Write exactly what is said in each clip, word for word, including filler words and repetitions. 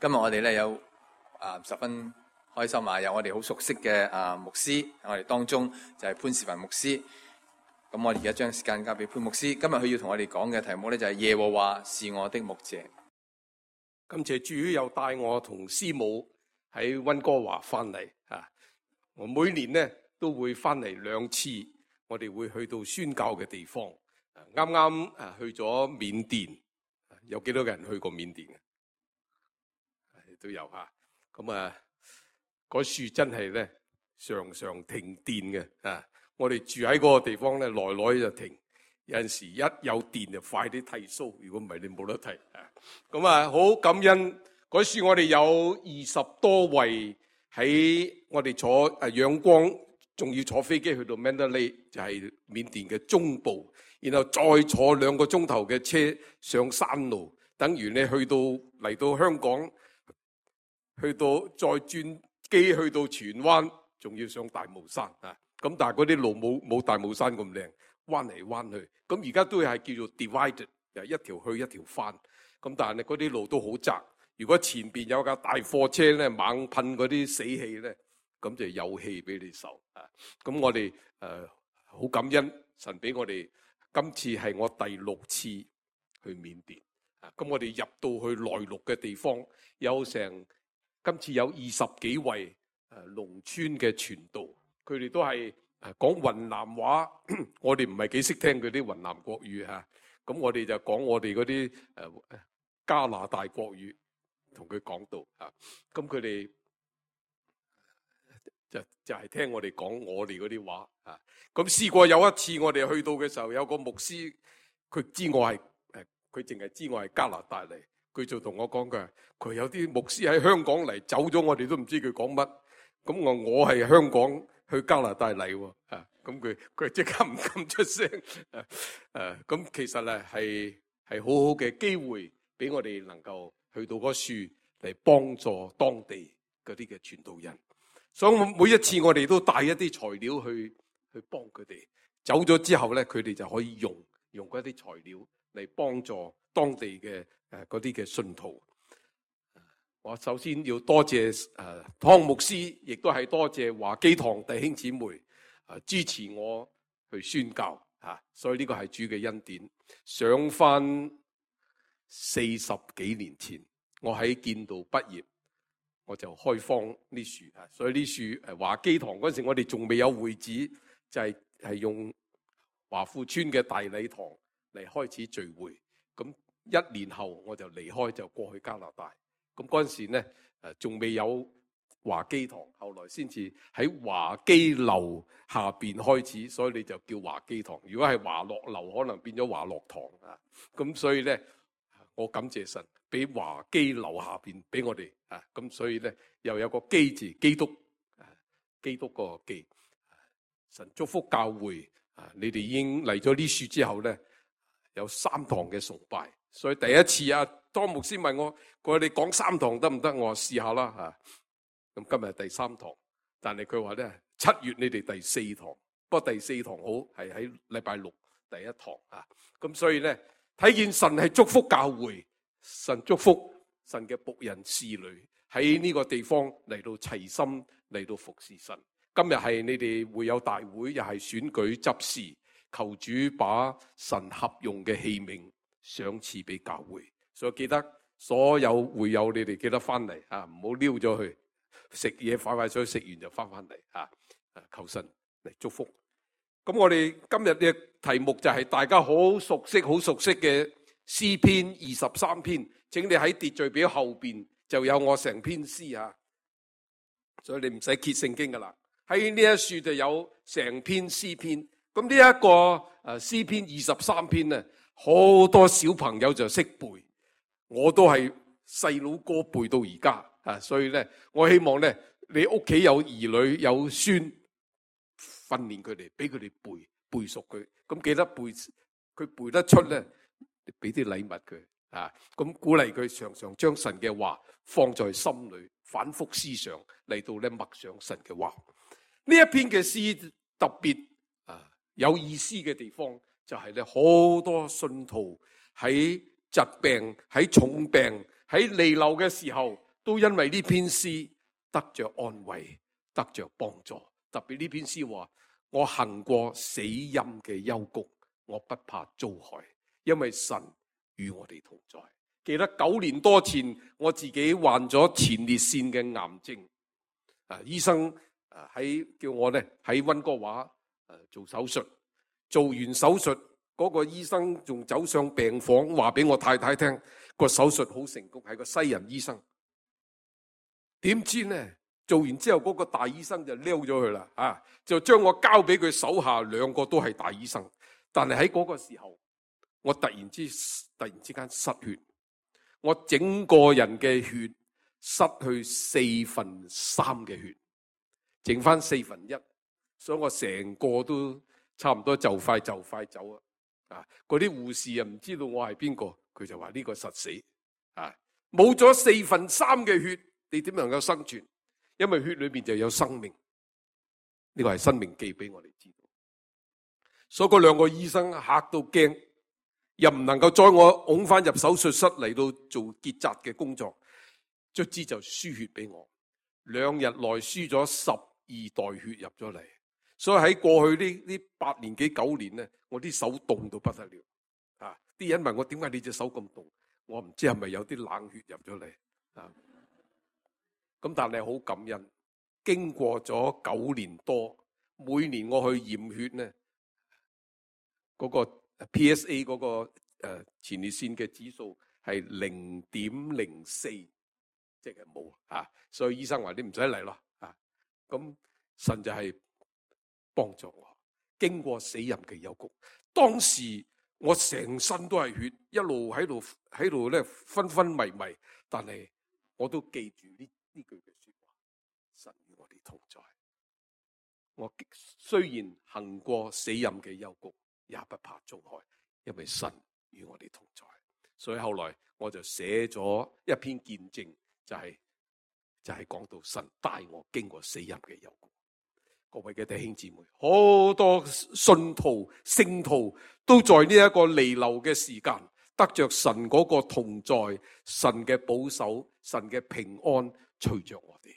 今日我哋咧有啊十分開心啊，有我哋好熟悉嘅啊牧師，我哋當中就係潘士文牧師。咁我而家將時間交俾潘牧師。今日佢要同我哋講嘅題目咧就係耶和華是我的牧者。感謝主又帶我同師母喺溫哥華翻嚟啊！我每年咧都會翻嚟兩次，我哋會去到宣教嘅地方。啱啱誒去咗緬甸，有幾多個人去過緬甸嘅？都有吓。咁啊，嗰樹真係咧常常停電嘅啊！我哋住喺嗰個地方咧，來來就停。有陣時一有電就快啲剃鬚，如果唔係你冇得剃啊！咁啊，好感恩嗰樹，我哋有二十多位喺我哋坐誒仰光，仲要坐飛機去到 Mandalay， 就係緬甸嘅中部，然後再坐兩個鐘頭嘅車上山路，等於你去到嚟到香港，去到再轉機去到荃灣，仲要上大帽山啊！咁但係嗰啲路冇冇大帽山咁靚，彎嚟彎去。咁而家都係叫做 divided， 一條去一條翻。咁但係嗰啲路都好窄。如果前邊有架大貨車咧，猛噴嗰啲死氣咧，咁就有氣俾你受啊！咁我哋誒好感恩神俾我哋，今次係我第六次去緬甸啊！咁我哋入到去內陸嘅地方，有成今次有二十幾位誒農村嘅傳道，佢哋都係誒講雲南話，我哋唔係幾識聽佢啲雲南國語嚇，咁我哋就講我哋嗰啲誒加拿大國語。同佢講道啊，咁佢哋就就係聽我哋講我哋嗰啲話啊。咁試過有一次我哋去到嘅時候，有個牧師，佢知我係誒，佢淨係知我係加拿大嚟，佢就同我講嘅，佢有啲牧師喺香港嚟，走咗我哋都唔知佢講乜。咁我我係香港去加拿大嚟喎啊，咁佢佢即刻唔敢出聲誒誒，咁其實咧係係好好嘅機會俾我哋能夠去到嗰樹嚟幫助當地嗰啲嘅傳道人，所以每一次我哋都帶一啲材料去去幫佢哋。走咗之後咧，佢哋就可以用用嗰啲材料嚟幫助當地嘅誒嗰啲嘅信徒。我首先要多謝誒湯牧師，亦都係多謝華基堂弟兄姊妹誒支持我去宣教嚇，所以呢個係主嘅恩典。上翻四十幾年前，我喺建道畢業，我就開荒呢樹啊，所以呢樹誒華基堂嗰陣時，我哋仲未有會址，就係係用華富村嘅大禮堂嚟開始聚會。咁一年後我就離開，就過去加拿大。咁嗰陣時咧誒仲未有華基堂，後來先至喺華基樓下邊開始，所以你就叫華基堂。如果係華樂樓，可能變咗華樂堂啊。咁所以咧。我感謝神俾華基樓下邊俾我哋啊，咁所以咧又有個基字，基督啊，基督個基。神祝福教會啊！你哋已經嚟咗呢樹之後咧，有三堂嘅崇拜，所以第一次啊，當牧師問我，佢話你講三堂得唔得？我話試下啦嚇。咁今日第三堂，但係佢話咧七月你哋第四堂，不過第四堂好係喺禮拜六第一堂啊。咁所以咧。睇見神係祝福教會，神祝福神嘅僕人侍女喺呢個地方嚟到齊心嚟到服侍神。今日係你哋會友大會，又係選舉執事，求主把神合用嘅器皿賞賜俾教會。所以記得所有會友，你哋記得翻嚟啊，唔好溜咗去食嘢，快快脆食完就翻翻嚟啊！求神嚟祝福。咁我哋今日嘅題目就係大家好熟悉、好熟悉嘅詩篇二十三篇，請你喺秩序表後邊就有我成篇詩啊，所以你唔使揭聖經噶啦。喺呢一處就有成篇詩篇。咁呢一個誒詩篇二十三篇咧，好多小朋友就識背，我都係細佬哥背到而家啊。所以咧，我希望咧，你屋企有兒女有孫。訓練佢哋，俾佢哋背背熟佢，咁記得背，佢背得出咧，俾啲禮物佢啊，咁鼓勵佢常常將神嘅話放在心裏，反覆思想嚟到咧默想神嘅話。呢一篇嘅詩特別啊有意思嘅地方就係咧，好多信徒喺疾病、喺重病、喺彌留嘅時候，都因為呢篇詩得着安慰，得着幫助。特別呢篇詩話：我行過死蔭嘅幽谷，我不怕遭害，因為神與我哋同在。記得九年多前，我自己患咗前列腺嘅癌症，啊，醫生啊喺叫我咧喺溫哥華誒做手術，做完手術嗰個醫生仲走上病房，話俾我太太聽個手術好成功，係個西人醫生。點知呢？做完之後，嗰個大醫生就撩咗佢啦，啊，就將我交俾佢手下兩個都係大醫生。但係喺嗰個時候，我突然之突然之間失血，我整個人嘅血失去四分三嘅血，剩翻四分一，所以我成個都差唔多就快就快走啊！啊，嗰啲護士啊唔知道我係邊個，佢就話呢個實死啊，冇咗四分三嘅血，你點能夠生存？因為血裏面就有生命，呢個係生命記俾我哋知道。所以嗰兩個醫生嚇到驚，又唔能夠將我拱翻入手術室嚟到做結紮嘅工作，卒之就輸血俾我，兩日內輸咗十二袋血入咗嚟。所以喺過去呢呢八年幾九年咧，我啲手凍到不得了啊！啲人問我點解你隻手咁凍，我唔知係咪有啲冷血入咗嚟啊！咁但係好感恩，經過咗九年多，每年我去驗血咧，嗰個 P S A 嗰個誒前列腺嘅指數係零點零四，即係冇啊，所以醫生話你唔使嚟咯啊。咁神就係幫助我，經過死蔭嘅幽谷，當時我成身都係血，一路喺度喺度咧昏昏迷迷，但係我都記住呢。呢句嘅說話，神與我哋同在。我雖然行過死蔭嘅幽谷，也不怕遭害，因為神與我哋同在。所以後來我就寫咗一篇見證，就係、是、就係、是、講到神帶我經過死蔭嘅幽谷。各位嘅弟兄姊妹，好多信徒聖徒都在呢一個彌留嘅時間，得着神嗰個同在，神嘅保守，神嘅平安。隨着我哋，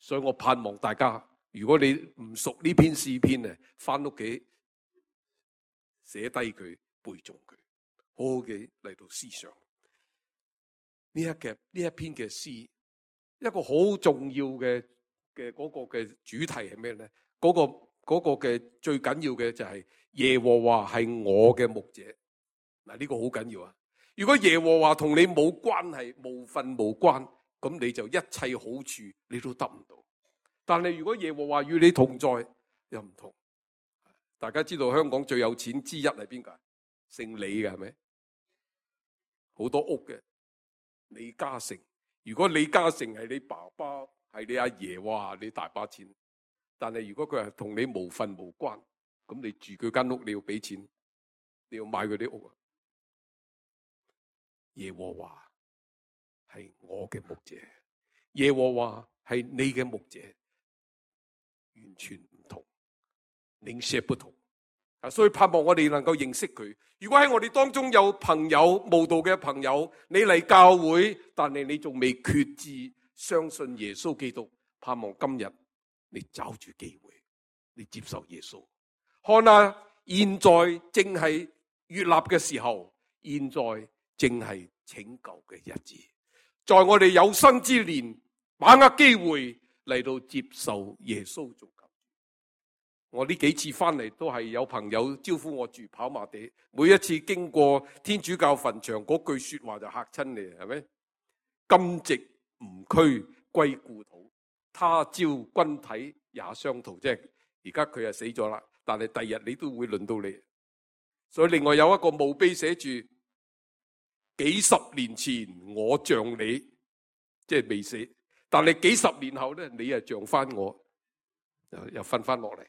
所以我盼望大家，如果你唔熟呢篇詩篇咧，翻屋企寫低佢，背誦佢，好好嘅嚟到思想呢一嘅呢一篇嘅詩，一個好重要嘅嘅嗰個嘅主題係咩咧？嗰、嗰個、嗰個嘅最緊要嘅就係耶和華係我嘅牧者。嗱，呢個好緊要啊！如果耶和華同你冇關係，無份無關。咁你就一切好處你都得唔到，但係如果耶和華與你同在，又唔同。大家知道香港最有錢之一係邊個？姓李嘅係咪？好多屋嘅李嘉誠。如果李嘉誠係你爸爸，係你阿爺，哇，你大把錢。但係如果佢係同你無份無關，咁你住佢間屋，你要俾錢，你要買佢啲屋啊。耶和華係我嘅牧者，耶和華係你嘅牧者，完全唔同，領袖不同啊！所以盼望我哋能夠認識佢。如果喺我哋當中有朋友慕道嘅朋友，你嚟教會，但係你仲未決志相信耶穌基督，盼望今日你抓住機會，你接受耶穌。看啊，現在正係悅納嘅時候，現在正係拯救嘅日子。在我哋有生之年，把握機會嚟到接受耶穌做救主。我呢幾次翻嚟都係有朋友招呼我住跑馬地，每一次經過天主教墳場，嗰句說話就嚇親你，係咪？今夕吾軀歸故土，他朝君體也相同。即係而家佢係死咗啦，但係第日你都會輪到你。所以另外有一個墓碑寫住，幾十年前我像你，即係未死，但係幾十年後咧，你係像翻我，又又瞓翻落嚟。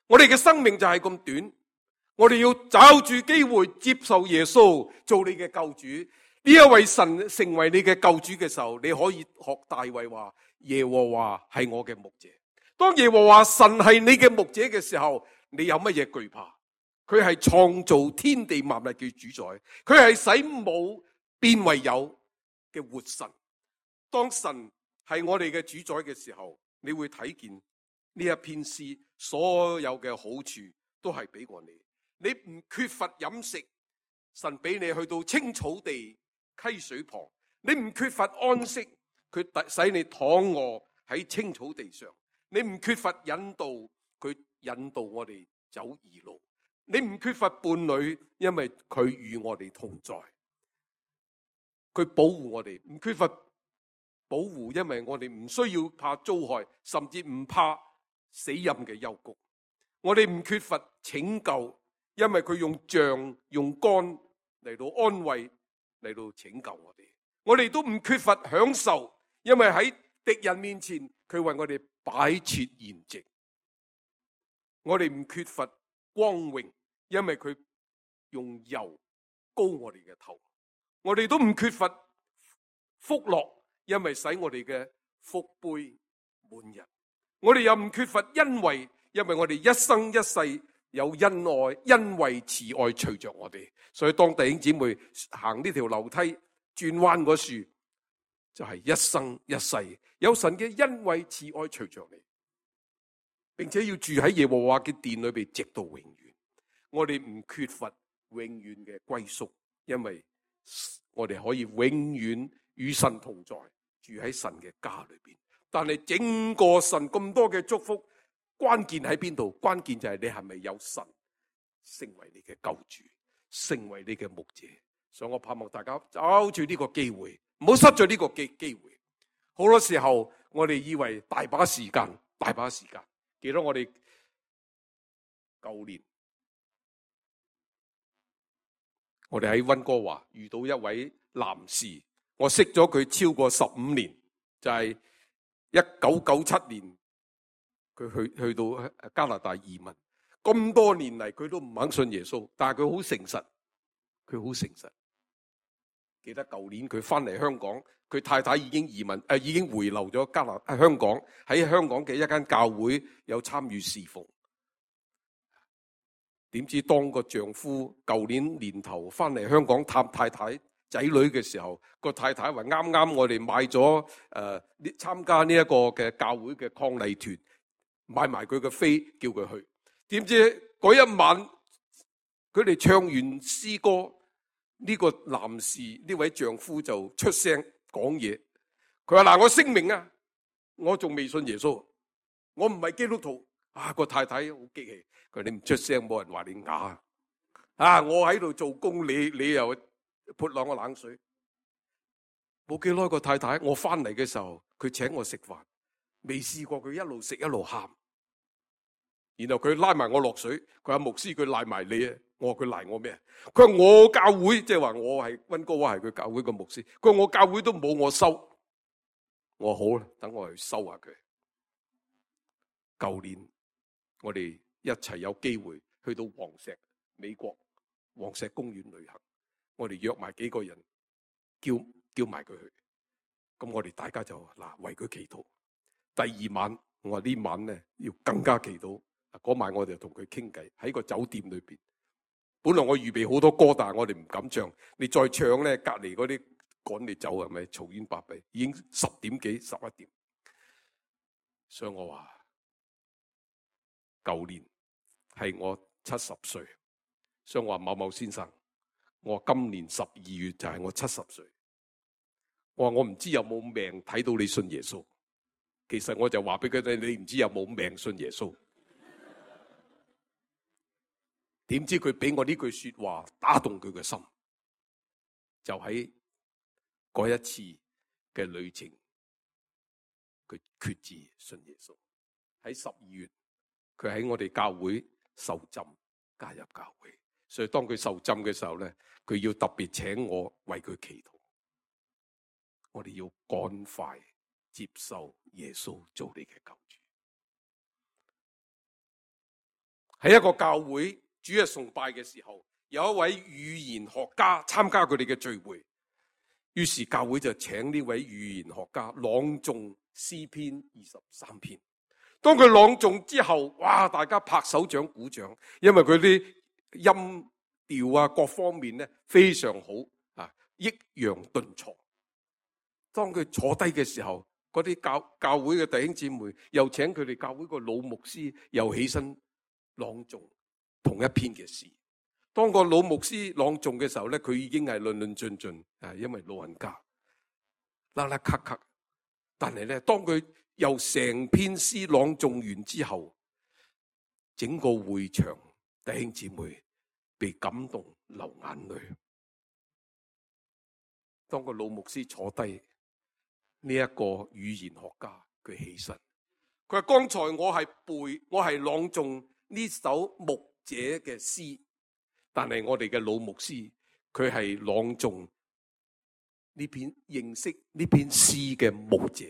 我哋嘅生命就係咁短，我哋要找住機會接受耶穌做你嘅救主。呢一位神成為你嘅救主嘅時候，你可以學大衛話：耶和華係我嘅牧者。當耶和華神係你嘅牧者嘅時候，你有乜嘢懼怕？佢係創造天地萬物嘅主宰，佢係使冇變為有嘅活神，當神係我哋嘅主宰嘅時候，你會睇見呢一篇詩所有嘅好處都係俾過你。你唔缺乏飲食，神俾你去到青草地溪水旁；你唔缺乏安息，佢使你躺臥喺青草地上；你唔缺乏引導，佢引導我哋走義路；你唔缺乏伴侶，因為佢與我哋同在，佢保護我哋，唔缺乏保護，因為我哋唔需要怕遭害，甚至唔怕死蔭嘅幽谷。我哋唔缺乏拯救，因為佢用杖用竿嚟到安慰，嚟到拯救我哋。我哋都唔缺乏享受，因為喺敵人面前佢為我哋擺設筵席。我哋唔缺乏光榮，因為佢用油膏我哋嘅頭。我哋都唔缺乏福樂，因為使我哋嘅福杯滿溢。我哋又唔缺乏恩惠，因為我哋一生一世有恩愛、恩惠、慈愛隨着我哋。所以當弟兄姊妹行呢條樓梯轉彎嗰處，就係、是、一生一世有神嘅恩惠、慈愛隨着你，並且要住喺耶和華嘅殿裏邊，直到永遠。我哋唔缺乏永遠嘅歸宿，因為我哋可以永遠與神同在，住喺神嘅家裏邊。但係整個神咁多嘅祝福，關鍵喺邊度？關鍵就係你係咪有神成為你嘅救主，成為你嘅牧者。所以我盼望大家抓住呢個機會，唔好失咗呢個機機會。好多時候我哋以為大把時間，大把時間。記得我哋舊年，我哋喺溫哥華遇到一位男士，我識咗佢超過十五年，就係一九九七年佢去去到加拿大移民，咁多年嚟佢都唔肯信耶穌，但係佢好誠實，佢好誠實。記得舊年佢翻嚟香港，佢太太已經移民誒、呃，已經回流咗加拿大香港，喺香港嘅一間教會有參與侍奉。點知當個丈夫舊年年頭翻嚟香港探太太仔女嘅時候，個太太話啱啱我哋買咗誒參加呢一個嘅教會嘅伉儷團，買埋佢嘅飛叫佢去。點知嗰一晚佢哋唱完詩歌，呢、這個男士呢位丈夫就出聲講嘢。佢話嗱，我聲明啊，我仲未信耶穌，我唔係基督徒。啊，個太太好激氣，佢話你唔出聲，冇人話你啞啊！我喺度做工，你你又潑兩個冷水。冇幾耐個太太，我翻嚟嘅時候，佢請我食飯，未試過佢一路食一路喊。然後佢拉埋我落水，佢話牧師，佢賴埋你啊！我話佢賴我咩？佢話我教會，即係話我係溫哥華係佢教會個牧師。佢話我教會都冇我收。我話好啦，等我去收下佢。舊年我哋一齊有機會去到黃石美國黃石公園旅行，我哋約埋幾個人，叫叫埋佢去。咁我哋大家就嗱為佢祈禱。第二晚我話呢晚咧要更加祈禱。嗰晚我哋就同佢傾偈喺個酒店裏邊。本來我預備好多歌，但係我哋唔敢唱。你再唱咧，隔籬嗰啲趕你走係咪？嘈冤巴閉，已經十點幾十一點。所以我話舊年係我七十歲，所以我話某某先生，我話今年十二月就係我七十歲。我話我唔知有冇命睇到你信耶穌。其實我就話俾佢聽，你唔知有冇命信耶穌。點知佢俾我呢句說話打動佢嘅心，就喺嗰一次嘅旅程，佢決志信耶穌。喺十二月，佢喺我哋教會受浸加入教會，所以當佢受浸嘅時候咧，佢要特別請我為佢祈禱。我哋要趕快接受耶穌做你嘅救主。喺一個教會主日崇拜嘅時候，有一位語言學家參加佢哋嘅聚會，於是教會就請呢位語言學家朗誦詩篇二十三篇。當佢朗誦之後，哇！大家拍手掌鼓掌，因為佢啲音調啊各方面咧非常好啊，抑揚頓挫。當佢坐低嘅時候，嗰啲教教會嘅弟兄姊妹又請佢哋教會個老牧師又起身朗誦同一篇嘅詩。當個老牧師朗誦嘅時候咧，佢已經係論論盡盡，啊，因為老人家啦啦咳咳。但係咧，當佢由成篇詩朗誦完之後，整個會場弟兄姊妹被感動流眼淚。當個老牧師坐低，呢一個語言學家佢起身，佢話：剛才我係背，我係朗誦呢首牧者嘅詩，但係我哋嘅老牧師佢係朗誦呢篇認識呢篇詩嘅牧者，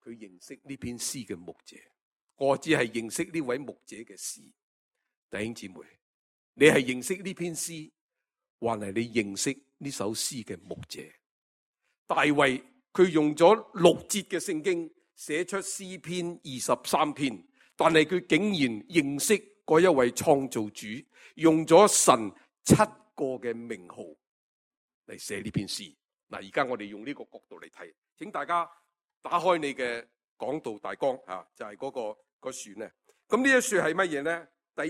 佢認識呢篇詩嘅牧者，我只係認識呢位牧者嘅詩。弟兄姊妹，你係認識呢篇詩，還係你認識呢首詩嘅牧者？大衛佢用咗六節嘅聖經寫出詩篇二十三篇，但係佢竟然認識嗰一位創造主，用咗神七個嘅名號嚟寫呢篇詩。嗱，而家我哋用呢個角度嚟睇，請大家打開你嘅講道大綱啊，就係嗰個個樹咧。咁呢一樹係乜嘢咧？第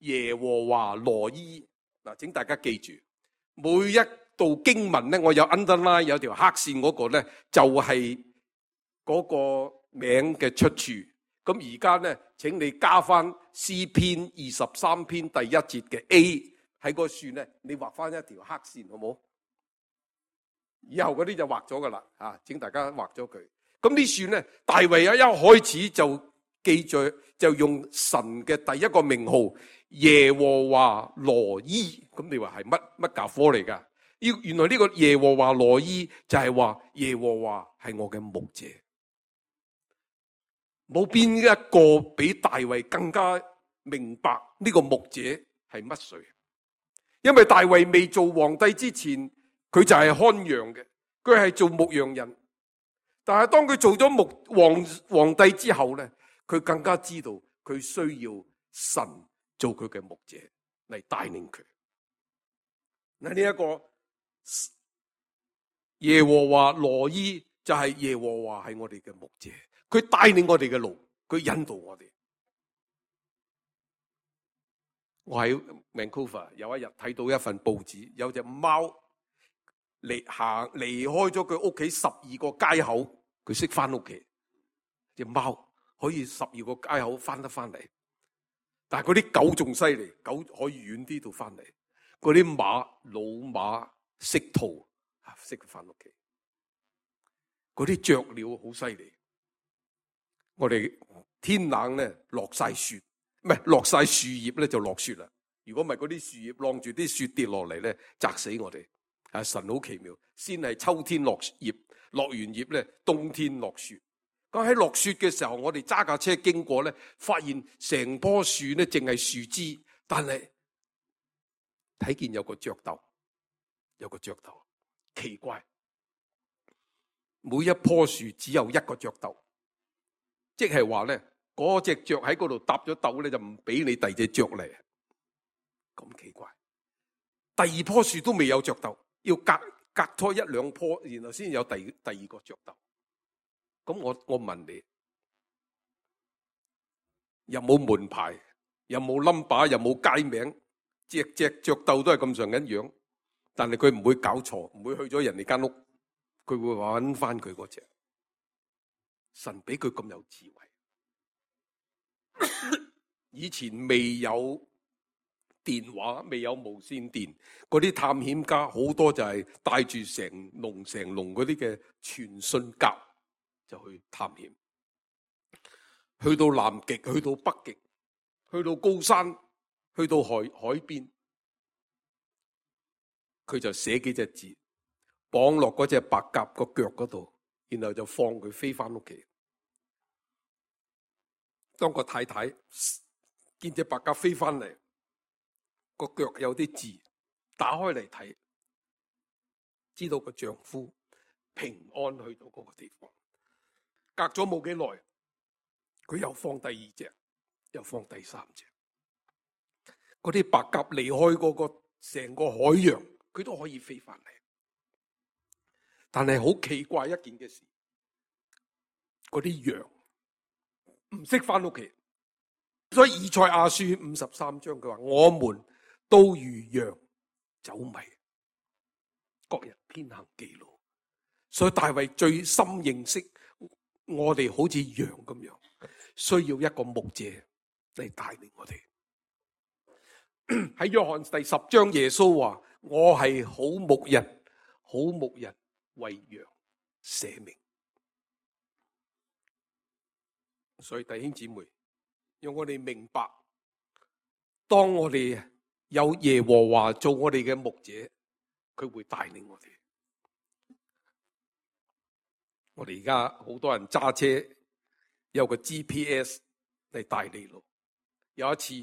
一，耶和華羅伊。嗱，請大家記住，每一道經文咧，我有 underline 有條黑線嗰個咧，就係嗰個名嘅出處。咁而家咧，請你加翻詩篇二十三篇第一節嘅 A 喺個樹咧，你畫翻一條黑線，好冇？以後嗰啲就畫咗噶啦，啊，請大家畫咗佢。咁呢樹咧，大衛啊一開始就記住，就用神嘅第一個名號耶和華羅伊。咁你話係乜乜教科嚟噶？原來呢個耶和華羅伊就係話耶和華係我嘅牧者。冇邊一個比大衛更加明白呢個牧者係乜水？因為大衛未做皇帝之前，佢就係看羊嘅，佢係做牧羊人。但係當佢做咗牧皇皇帝之後咧，佢更加知道佢需要神做佢嘅牧者嚟帶領佢。嗱，呢一個耶和華羅伊就係耶和華係我哋嘅牧者，佢帶領我哋嘅路，佢引導我哋。我喺 Vancouver 有一日睇到一份報紙，有隻貓離行離開咗佢屋企十二個街口，佢識翻屋企。隻貓可以十二個街口翻得翻嚟，但係嗰啲狗仲犀利，狗可以遠啲度翻嚟。嗰啲馬老馬識逃啊，識翻屋企。嗰啲雀鳥好犀利。我哋天冷咧落晒雪，唔係落晒樹葉咧就落雪啦。如果唔係嗰啲樹葉晾住啲雪跌落嚟咧，砸死我哋。啊，神好奇妙，先係秋天落葉，落完葉咧冬天落雪。咁喺落雪嘅時候，我哋揸架車經過咧，發現成棵樹咧淨係樹枝，但係睇見有個雀竇，有個雀竇，奇怪，每一棵樹只有一個雀竇。即係話咧，嗰隻雀喺嗰度搭咗竇咧，就唔俾你第二隻雀嚟，咁奇怪。第二棵樹都未有雀竇，要隔隔拖一兩棵，然後先有第第二個雀竇。咁我我問你，有冇門牌？有冇 number？ 有冇街名？隻隻雀竇都係咁上緊樣，但係佢唔會搞錯，唔會去咗人哋間屋，佢會揾翻佢嗰隻。神俾佢咁有智慧，以前未有電話，未有無線電，嗰啲探險家好多就係帶住成籠成籠嗰啲嘅傳信鴿就去探險，去到南極，去到北極，去到高山，去到海海邊，佢就寫幾隻字，綁落嗰隻白鴿個腳嗰度。然後就放佢飛翻屋企。當個太太見隻白鴿飛翻嚟，個腳有啲字，打開嚟睇，知道個丈夫平安去到嗰個地方。隔咗冇幾耐，佢又放第二隻，又放第三隻。嗰啲白鴿離開嗰個成個海洋，佢都可以飛翻嚟。但係好奇怪一件嘅事，嗰啲羊唔識翻屋企。所以以賽亞書五十三章佢話：我們都如羊走迷，各人偏行己路。所以大衛最深認識我哋好似羊咁樣，需要一個牧者嚟帶領我哋。喺約翰第十章，耶穌話：我係好牧人，好牧人為羊捨命。所以弟兄姊妹，讓我哋明白，當我哋有耶和華做我哋嘅牧者，佢會帶領我哋。我哋而家好多人揸車有個 G P S 嚟帶你路。有一次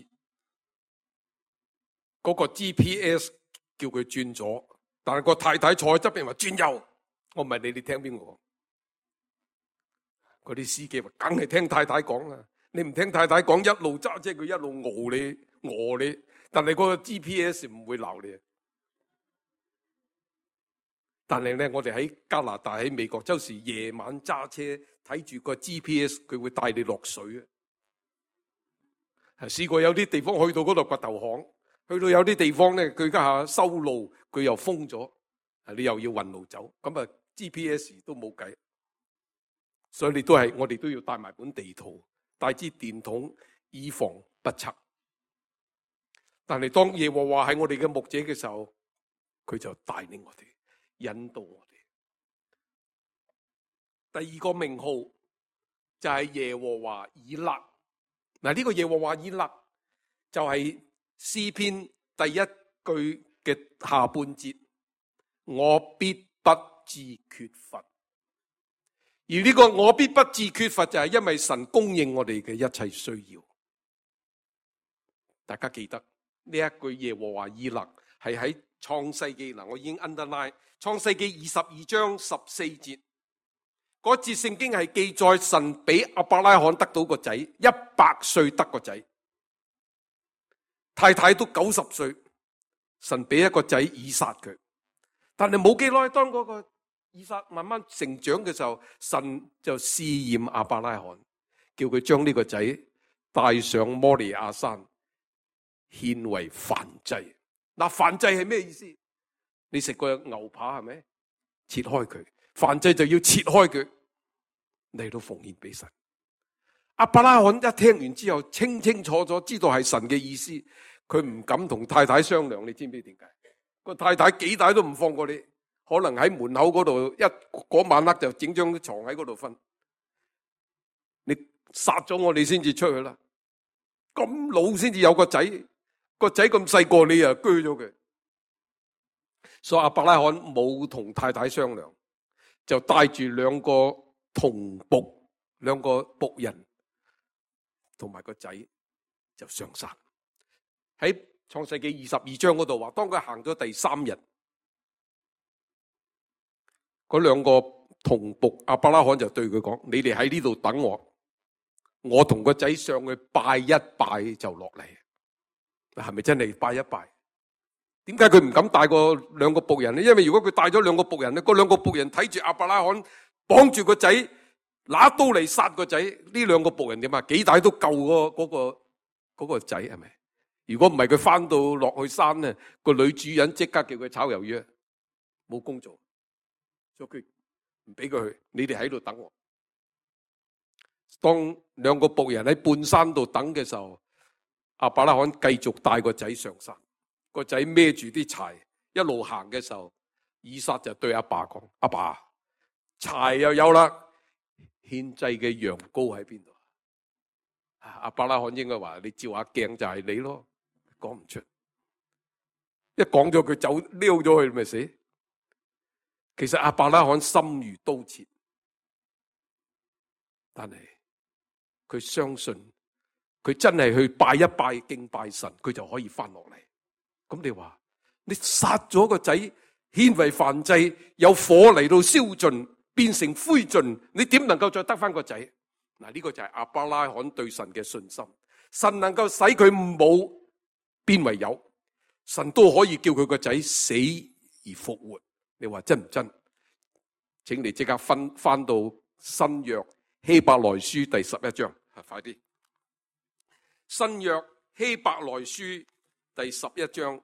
嗰個 G P S 叫佢轉左，但係個太太坐喺側邊話轉右。我問你，你聽邊個？嗰啲司機話梗係聽太太講啦。你唔聽太太講，一路揸車佢一路熬你餓你，但係嗰個 G P S 唔會鬧你。但係咧，我哋喺加拿大喺美國，周時夜晚揸車睇住個 G P S， 佢會帶你落水啊！試過有啲地方去到嗰度掘頭巷，去到有啲地方咧，佢家下修路，佢又封咗，你又要運路走，咁啊 G P S 都冇計，所以你都係我哋都要帶埋本地圖，帶支電筒，以防不測。但係當耶和華係我哋嘅牧者嘅時候，佢就帶領我哋。引導我哋。第二個名號就係耶和華以勒。嗱，呢個耶和華以勒就係詩篇第一句嘅下半節，我必不致缺乏。而呢個我必不致缺乏就係因為神供應我哋嘅一切需要。大家記得呢一句耶和華以勒係喺創世記，嗱，我已經 underline 創世記二十二章十四節，嗰節聖經係記載神俾亞伯拉罕得到個仔，一百歲得個仔，太太都九十歲，神俾一個仔以撒佢。但係冇幾耐，當嗰個以撒慢慢成長嘅時候，神就試驗亞伯拉罕，叫佢將呢個仔帶上摩利亞山獻為燔祭。嗱，燔祭係咩意思？你食過牛扒係咪？切開佢，燔祭就要切開佢嚟到奉獻俾神。亞伯拉罕一聽完之後，清清楚楚知道係神嘅意思，佢唔敢同太太商量。你知唔知點解？個太太幾大都唔放過你，可能喺門口嗰度一嗰晚黑就整張床喺嗰度瞓。你殺咗我，你先至出去啦。咁老先至有個仔，個仔咁細個，你又鋸咗佢。所以亞伯拉罕冇同太太商量，就帶住兩個童僕，兩個僕人同埋個仔就上山。喺創世記二十二章嗰度話，當佢行咗第三日，嗰兩個童僕亞伯拉罕就對佢講：你哋喺呢度等我，我同個仔上去拜一拜就落嚟。係咪真係拜一拜？點解佢唔敢帶個兩個僕人呢？因為如果佢帶咗兩個僕人咧，嗰兩個僕人睇住亞伯拉罕綁住個仔，拿刀嚟殺個仔，呢兩個僕人點啊？幾大都救嗰嗰個嗰個仔係咪？如果唔係佢翻到落去山咧，個女主人即刻叫佢炒魷魚，冇工做，所以佢唔俾佢去。你哋喺度等我。當兩個僕人喺半山度等嘅時候，亞伯拉罕繼續帶個仔上山。個仔孭住啲柴一路行嘅時候，以撒就對阿爸講：阿爸，柴又有啦，獻祭嘅羊羔喺邊度？阿伯拉罕應該話：你照下鏡就係你咯。講唔出，一講咗佢走溜咗去咪死。其實阿伯拉罕心如刀切，但係佢相信佢真係去拜一拜敬拜神，佢就可以翻落嚟。咁你話你殺咗個仔獻為燔祭，有火嚟到燒盡，變成灰燼，你點能夠再得翻個仔？嗱，呢個就係亞伯拉罕對神嘅信心。神能夠使佢冇變為有，神都可以叫佢個仔死而復活。你話真唔真？請你即刻翻翻到新約希伯來書第十一章，快啲！新約希伯來書第十一章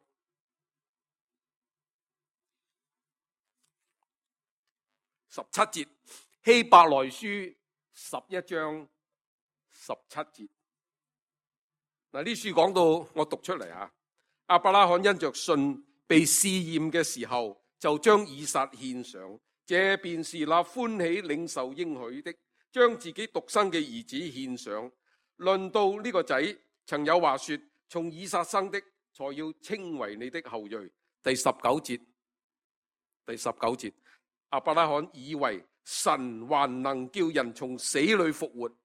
十七節，希伯來書十一章十七節。嗱，呢書講到，我讀出嚟啊。亞伯拉罕因着信被試驗嘅時候，就將以撒獻上，這便是那歡喜領受應許的，將自己獨生嘅兒子獻上。論到呢個仔，曾有話說：從以撒生的，才要稱為你的後裔。第十九節，第十九節，亞伯拉罕以為神還能叫人從死裏復活，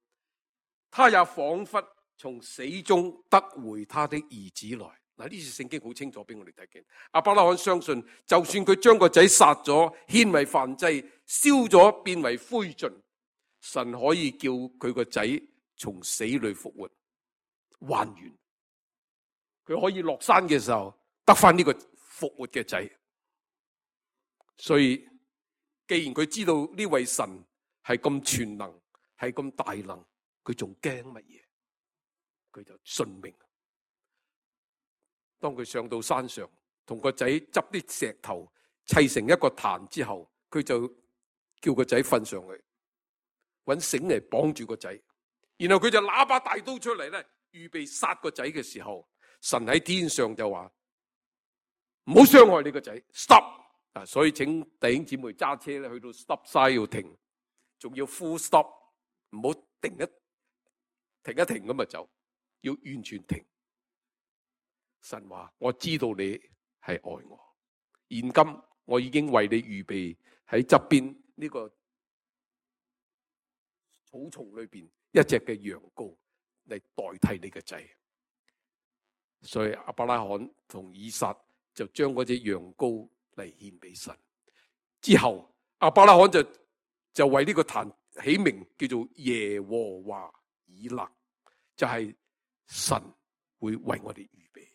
他也仿佛從死中得回他的兒子來。嗱，呢次聖經好清楚俾我哋睇見，亞伯拉罕相信，就算佢將個仔殺咗，獻為燔祭，燒咗變為灰燼，神可以叫佢個仔從死裏復活，還原。佢可以落山嘅時候得翻呢個復活嘅仔。所以，既然佢知道呢位神係咁全能，係咁大能，佢仲驚乜嘢？佢就信命。當佢上到山上，同個仔執啲石頭砌成一個壇之後，佢就叫個仔瞓上去，搵繩嚟綁住個仔，然後佢就拿把大刀出嚟咧，預備殺個仔嘅時候，神喺天上就話唔好傷害你個仔 ，stop 啊！所以請弟兄姊妹揸車咧，去到 stop sign 要停，仲要 full stop， 唔好停一停一停咁就走，要完全停。神話我知道你係愛我，現今我已經為你預備喺側邊呢個草叢裏邊一隻嘅羊羔嚟代替你嘅仔。所以亞伯拉罕同以撒就將嗰隻羊羔嚟獻俾神。之後亞伯拉罕就就為呢個壇起名叫做耶和華以勒，就係、是、神會為我哋預備。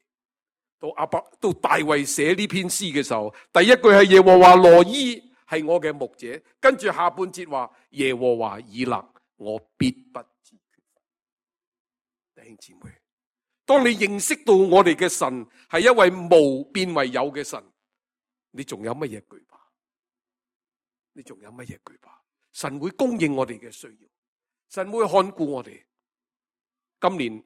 到阿伯到大衛寫呢篇詩嘅時候，第一句係耶和華羅伊係我嘅牧者，跟住下半節話耶和華以勒，我必不致缺乏。弟兄姊妹，當你認識到我哋嘅神係一位無變為有嘅神，你仲有乜嘢懼怕？你仲有乜嘢懼怕？神會供應我哋嘅需要，神會看顧我哋。今年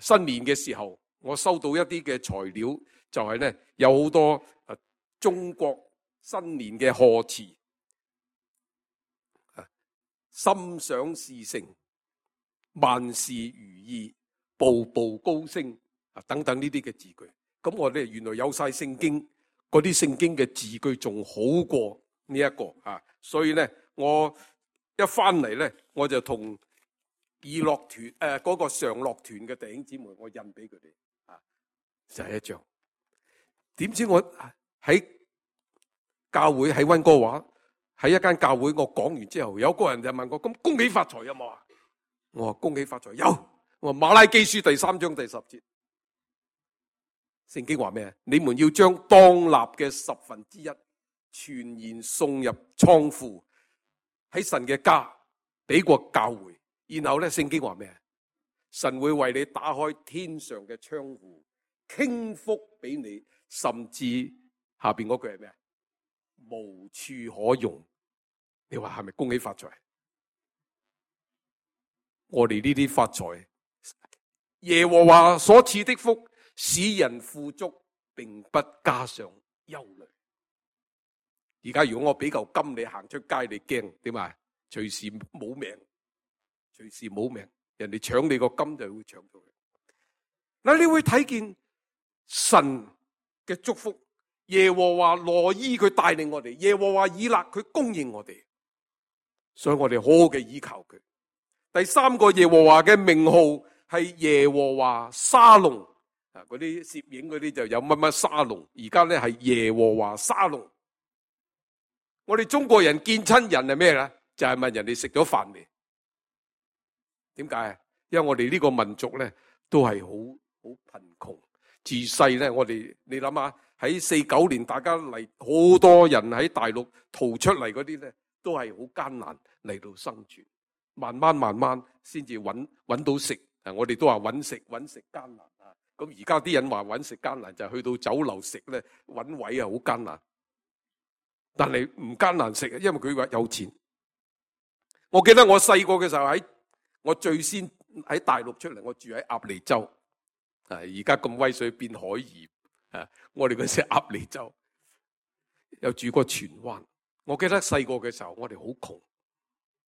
新年嘅時候，我收到一啲嘅材料，就係咧有好多誒中國新年嘅賀詞，心想事成、萬事如意、步步高升啊等等呢啲嘅字句。咁我哋原來有晒聖經，嗰啲聖經嘅字句仲好過呢一個啊，所以咧我一翻嚟咧，我就同義樂團誒嗰個常樂團嘅弟兄姊妹，我印俾佢哋。就係一張，點知我喺教會喺溫哥華喺一間教會，我講完之後，有個人就問我：咁恭喜發財有冇啊？我話恭喜發財有。我話馬拉基書第三章第十節，聖經話咩？你們要將當納嘅十分之一全然送入倉庫，喺神嘅家俾個教會。然後咧，聖經話咩？神會為你打開天上嘅窗戶，傾福俾你，甚至下邊嗰句係咩？無處可容。你話係咪恭喜發財？我哋呢啲發財，耶和華所賜的福，使人富足，並不加上憂慮。而家如果我俾嚿金你行出街，你驚點啊？隨時冇命，隨時冇命，人哋搶你個金就會搶咗佢。嗱，你會睇見神嘅祝福，耶和華羅伊佢帶領我哋，耶和華以勒佢供應我哋，所以我哋好好嘅依靠佢。第三個耶和華嘅名號係耶和華沙龍，啊，嗰啲攝影嗰啲就有乜乜沙龍，而家咧係耶和華沙龍。我哋中國人見親人係咩咧？就係問人哋食咗飯未？點解？因為我哋呢個民族咧都係好好貧窮。自細咧，我哋你諗下喺四九年，大家嚟好多人喺大陸逃出嚟嗰啲咧，都係好艱難嚟到生存，慢慢慢慢先至揾揾到食。啊，我哋都話揾食揾食艱難啊。咁而家啲人話揾食艱難，就係去到酒樓食咧，揾位啊好艱難。但係唔艱難食，因為佢話有錢。我記得我細個嘅時候喺我最先喺大陸出嚟，我住喺鴨脷洲。啊，而家咁威水變海鹽啊！我哋嗰時鴨脷洲又住過荃灣。我記得細個嘅時候，我哋好窮，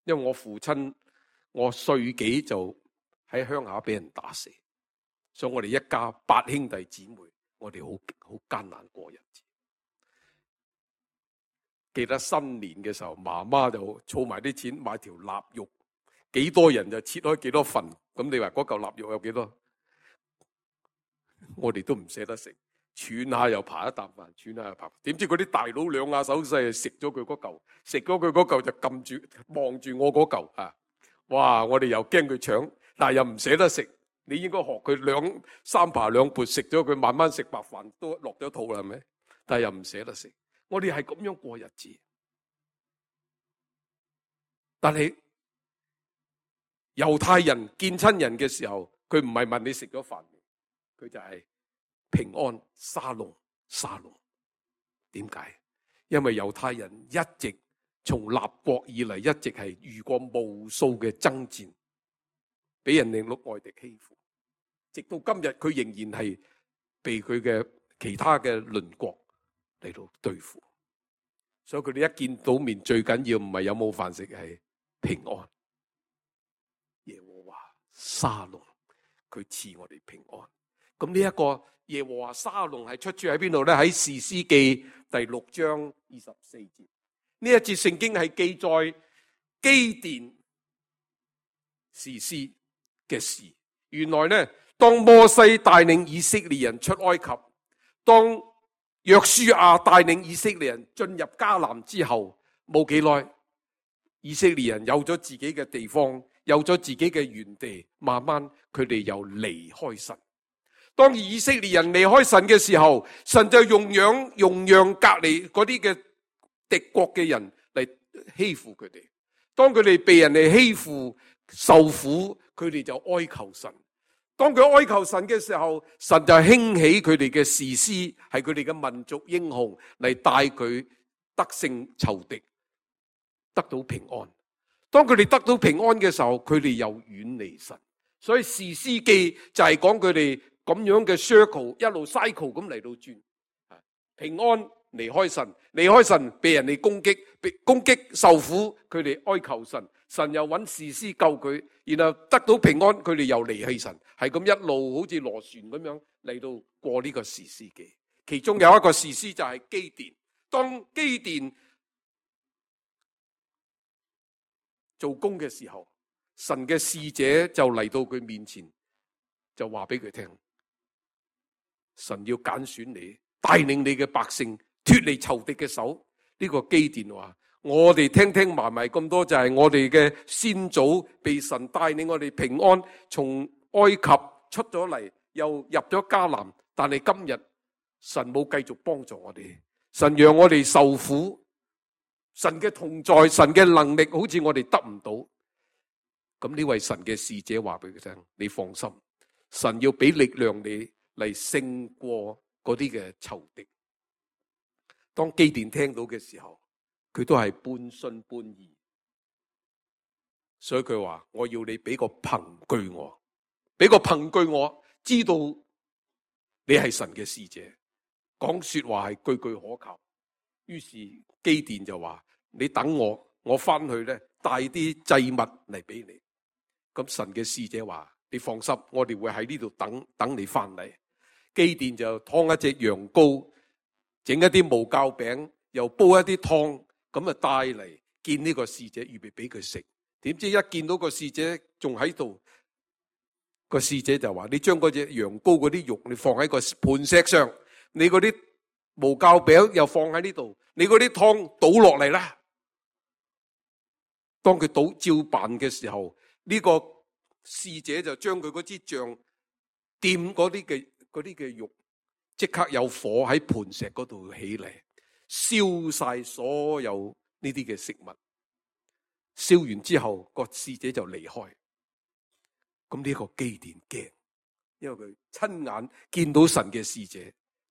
因為我父親我歲幾就喺鄉下俾人打死，所以我哋一家八兄弟姊妹，我哋好好艱難過日子。記得新年嘅時候，媽媽就儲埋啲錢買條臘肉，幾多人就切開幾多份。咁你話嗰嚿臘肉有幾多？我哋都唔捨得食，喘下又扒一啖飯，喘下又扒。點知嗰啲大佬兩下手勢食咗佢嗰嚿，食咗佢嗰嚿就撳住望住我嗰嚿啊！哇！我哋又驚佢搶，但係又唔捨得食。你應該學佢兩三扒兩撥食咗佢，慢慢食白飯都落咗肚啦，係咪？但係又唔捨得食。我哋係咁樣過日子，但係猶太人見親人嘅時候，佢唔係問你食咗飯未，佢就係平安沙龍沙龍。點解？因為猶太人一直從立國以嚟，一直係遇過無數嘅爭戰，俾人哋陸外敵欺負，直到今日佢仍然係被佢嘅其他嘅鄰國嚟到對付，所以佢哋一見到面最緊要唔係有冇飯食，係平安。耶和華沙龍，佢賜我哋平安。咁呢一個耶和華沙龍係出處喺邊度咧？喺士師記第六章二十四節。呢一節聖經係記載基甸士師嘅事。原來咧，當摩西帶領以色列人出埃及，當約書亞帶領以色列人進入迦南之後，冇幾耐，以色列人有咗自己嘅地方，有咗自己嘅原地，慢慢佢哋又離開神。當以色列人離開神嘅時候，神就用養用讓隔離嗰啲嘅敵國嘅人嚟欺負佢哋。當佢哋被人哋欺負受苦，佢哋就哀求神。當佢哀求神嘅時候，神就興起佢哋嘅士師，係佢哋嘅民族英雄嚟帶佢得勝仇敵，得到平安。當佢哋得到平安嘅時候，佢哋又遠離神。所以士師記就係講佢哋咁樣嘅 circle 一路 cycle 咁嚟到轉，平安離開神，離開神被人哋攻擊，被攻擊受苦，佢哋哀求神，神又揾士師救佢，然後得到平安，佢哋又離棄神，係咁一路好似螺旋咁樣嚟到過呢個士師記。其中有一個士師就係基甸。當基甸做工嘅時候，神嘅使者就嚟到佢面前，就話俾佢聽，神要揀選你，帶領你嘅百姓脫離仇敵嘅手。呢個基甸話，我哋聽聽埋埋咁多，就係我哋嘅先祖被神帶領我哋平安從埃及出咗嚟，又入咗迦南，但係今日神冇繼續幫助我哋，神讓我哋受苦，神嘅同在，神嘅能力好似我哋得唔到。咁呢位神嘅使者話俾佢聽，你放心，神要俾力量你嚟勝過嗰啲嘅仇敵。當基甸聽到嘅時候，佢都係半信半疑，所以佢話，我要你俾個憑據我，俾個憑據我知道你係神嘅使者，講說話係句句可靠。於是基甸就話，你等我，我翻去咧帶啲祭物嚟俾你。咁神嘅使者話，你放心，我哋會喺呢度等等你翻嚟。基甸就劏一隻羊羔，整一啲無酵餅，又煲一啲湯，咁啊帶嚟見呢個使者，預備俾佢食。點知一見到個使者仲喺度，個使者就話，你將嗰隻羊羔嗰啲肉你放喺個磐石上，你嗰啲無酵餅又放喺呢度，你嗰啲湯倒落嚟啦。當佢倒照辦嘅時候，呢個使者就將佢嗰支杖掂嗰啲嘅嗰啲嘅肉即刻有火喺磐石嗰度起嚟，燒晒所有呢啲嘅食物。燒完之後，個使者就離開。咁呢個基甸驚，因為佢親眼見到神嘅使者，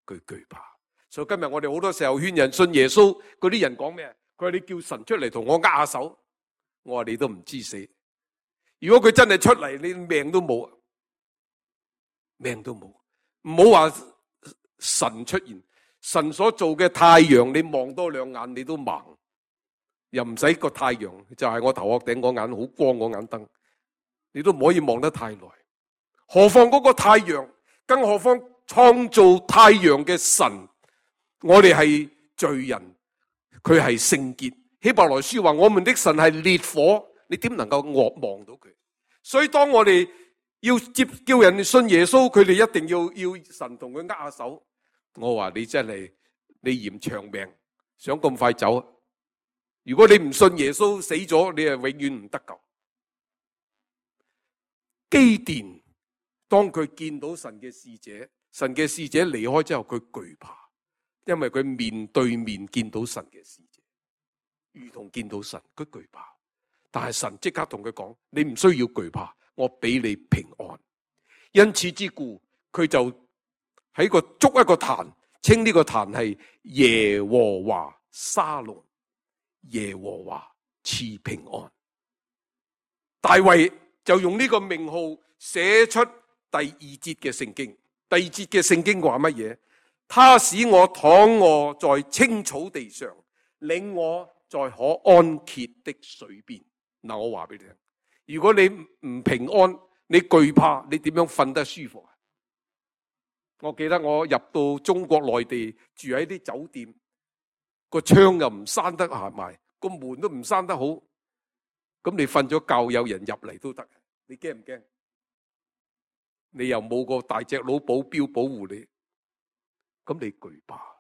佢懼怕。所以今日我哋好多時候勸人信耶穌，嗰啲人講咩？佢話你叫神出嚟同我握下手，我話你都唔知死。如果佢真係出嚟，你命都冇，命都冇。唔好話神出現，神所做嘅太陽，你望多兩眼你都盲，又唔使個太陽，就係我頭殼頂嗰眼好光嗰眼燈，你都唔可以望得太耐。何況嗰個太陽，更何況創造太陽嘅神，我哋係罪人，佢係聖潔。希伯來書話我們的神係烈火，你點能夠望到佢？所以當我哋要接叫人信耶穌，佢哋一定要要神同佢握下手。我話你真係你嫌長命，想咁快走。如果你唔信耶穌死咗，你係永遠唔得救。基甸當佢見到神嘅使者，神嘅使者離開之後，佢懼怕，因為佢面對面見到神嘅使者，如同見到神，佢懼怕。但係神即刻同佢講：你唔需要懼怕，我俾你平安。因此之故，佢就喺個築一個壇，稱呢個壇係耶和華沙龍，耶和華賜平安。大衛就用呢個名號寫出第二節嘅聖經。第二節嘅聖經話乜嘢？他使我躺臥在青草地上，領我在可安歇的水邊。嗱，我話俾你聽，如果你唔平安，你懼怕，你點樣瞓得舒服啊？我記得我入到中國內地住喺啲酒店，個窗又唔閂得下埋，個門都唔閂得好，咁你瞓咗覺有人入嚟都得，你驚唔驚？你又冇個大隻佬保鏢保護你，咁你懼怕。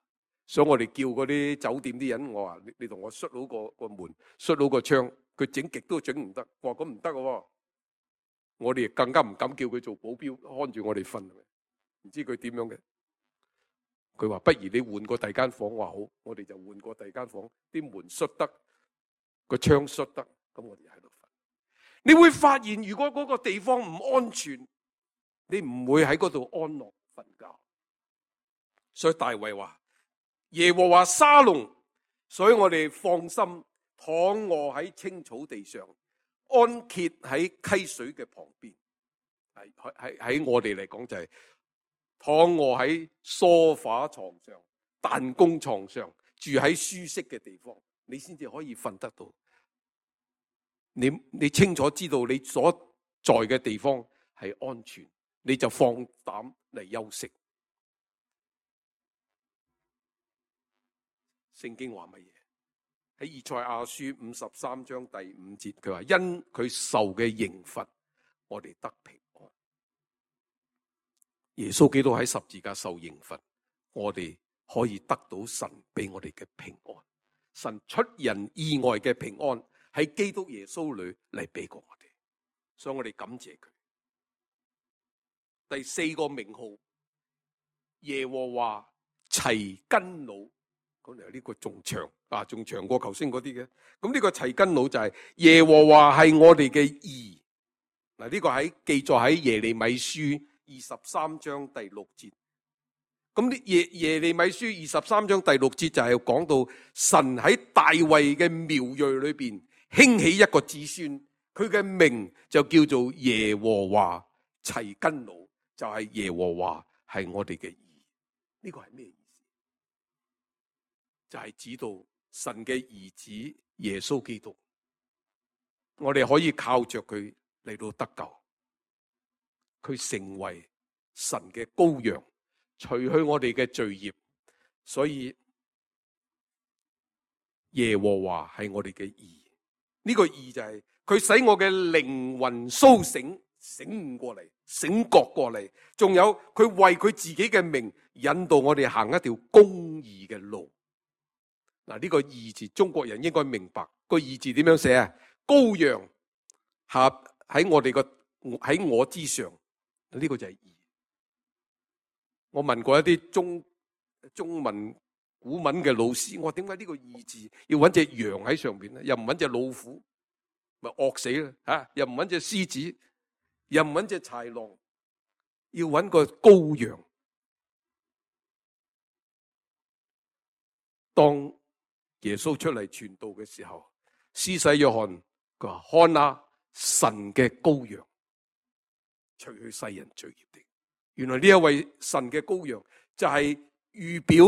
所以我哋叫嗰啲酒店啲人，我話你你同我閂好個個門，閂好個窗，佢整極都整唔得。我話咁唔得嘅，我哋更加唔敢叫佢做保鏢看住我哋瞓，唔知佢點樣嘅。佢話不如你換個第二間房，我話好，我哋就換個第二間房，啲門閂得，個窗閂得，咁我哋喺度瞓。你會發現，如果嗰個地方唔安全，你唔會喺嗰度安樂瞓覺。所以大衛話耶和華沙龍，所以我哋放心躺臥喺青草地上，安歇喺溪水嘅旁邊。係係喺我哋嚟講就係、是、躺臥喺梳化床上、彈弓床上，住喺舒適嘅地方，你先至可以瞓得到。你你清楚知道你所在嘅地方係安全，你就放膽嚟休息。聖經話乜嘢？喺以賽亞書五十三章第五節，佢話因佢受嘅刑罰，我哋得平安。耶穌基督喺十字架受刑罰，我哋可以得到神俾我哋嘅平安。神出人意外嘅平安喺基督耶穌裏嚟俾過我哋，所以我哋感謝佢。第四個名號耶和華齊根佬。咁嚟呢個仲長啊，仲長過頭先嗰啲嘅。咁呢個齊根佬就係耶和華係我哋嘅義。嗱，呢個喺記載喺耶利米書二十三章第六節。咁呢耶耶利米書二十三章第六節就係講到神喺大衛嘅苗裔裏邊興起一個子孫，佢嘅名就叫做耶和華齊根佬，就係、是、耶和華係我哋嘅義。呢、這個係咩？就係指到神嘅兒子耶穌基督，我哋可以靠着佢嚟到得救，佢成為神嘅羔羊，除去我哋嘅罪孽。所以耶和華係我哋嘅義，呢、這個義就係佢使我嘅靈魂蘇醒，醒悟過嚟，醒覺過嚟，仲有佢為佢自己嘅名引導我哋行一條公義嘅路。嗱，呢個義字，中國人應該明白個義字點樣寫啊？羔羊下喺我哋個喺我之上，呢個就係義。我問過一啲中中文古文嘅老師，我話點解呢個義字要揾隻羊喺上邊咧？又唔揾隻老虎，咪惡死啦吓！又唔揾隻獅子，又唔揾隻豺狼，要揾個羔羊。當耶穌出嚟傳道嘅時候，施洗約翰佢話：看啊，神嘅羔羊，除去世人罪孽的。原來呢一位神嘅羔羊就係預表，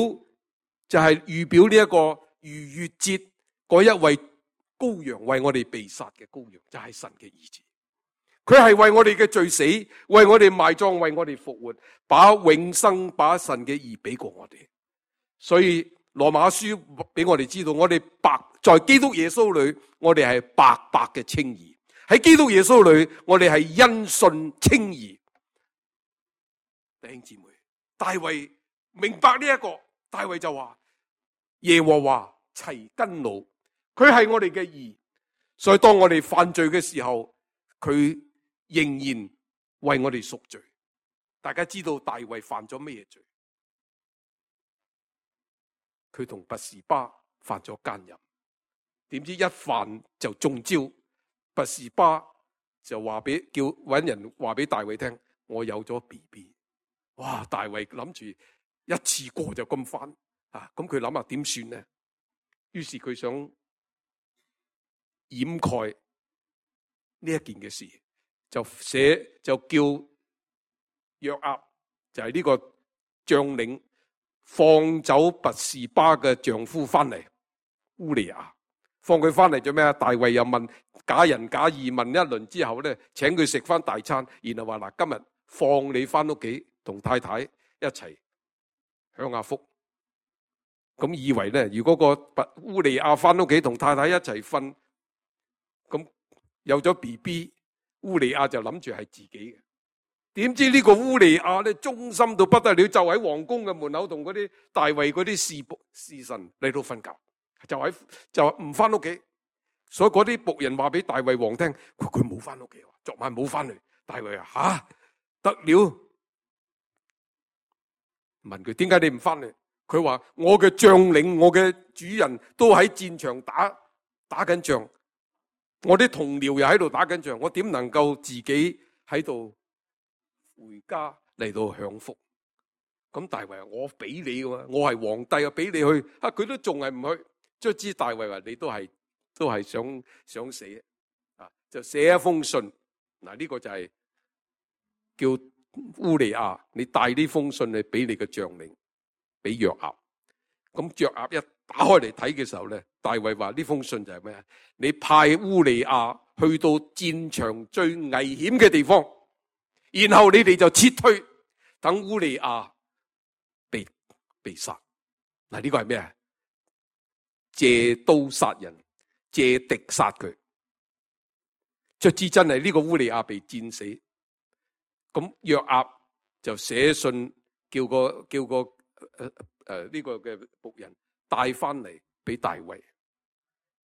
就係、是、預表呢一個逾越節嗰一位羔羊，為我哋被殺嘅羔羊，就係、是、神嘅兒子。佢係為我哋嘅罪死，為我哋埋葬，為我哋復活，把永生，把神嘅義俾過我哋。所以羅馬書俾我哋知道，我哋白在基督耶穌裏，我哋係白白嘅稱義。喺基督耶穌裏，我哋係因信稱義。弟兄姊妹，大衛明白呢、這、一個，大衛就話：耶和華齊根怒，佢係我哋嘅義。所以當我哋犯罪嘅時候，佢仍然為我哋贖罪。大家知道大衛犯咗咩罪？佢同拔示巴犯咗奸淫，點知一犯就中招。拔示巴就話俾叫搵人話俾大衛聽：我有咗 B B。哇！大衛諗住一次過就咁翻啊！咁佢諗下點算呢？於是佢想掩蓋呢一件嘅事，就寫就叫約押，就係呢個將領，放走拔示巴嘅丈夫翻嚟烏利亞，放佢翻嚟做咩啊？大衛又問假仁假義問一輪之後咧，請佢食翻大餐，然後話嗱，今日放你翻屋企同太太一齊享下福。咁以為咧，如果個烏利亞翻屋企同太太一齊瞓，咁有咗 B B， 烏利亞就諗住係自己嘅。點知呢個烏利亞咧，忠心到不得了，就喺皇宮嘅門口同嗰啲大衛嗰啲侍僕侍臣嚟到瞓覺，就喺就唔翻屋企。所以嗰啲僕人話俾大衛王聽，佢佢冇翻屋企，昨晚冇翻嚟。大衛話吓得了，問佢點解你唔翻嚟？佢話我嘅將領，我嘅主人都喺戰場打打緊仗，我啲同僚又喺度打緊仗，我點能夠自己喺度回家嚟到享福？咁大衛話我俾你嘅嘛，我係皇帝啊，俾你去啊，佢都仲係唔去。卒之大衛話你都係都係想想死啊，就寫一封信。嗱，呢個就係叫烏利亞，你帶呢封信去俾你嘅將領，俾約押。咁約押一打開嚟睇嘅時候咧，大衛話呢封信就係咩啊？你派烏利亞去到戰場最危險嘅地方，然後你哋就撤退，等烏利亞被被殺。嗱，呢個係咩啊？借刀殺人，借敵殺佢。卒之真係呢個烏利亞被戰死。咁約押就寫信叫個叫個誒誒呢個嘅僕人帶翻嚟俾大衛。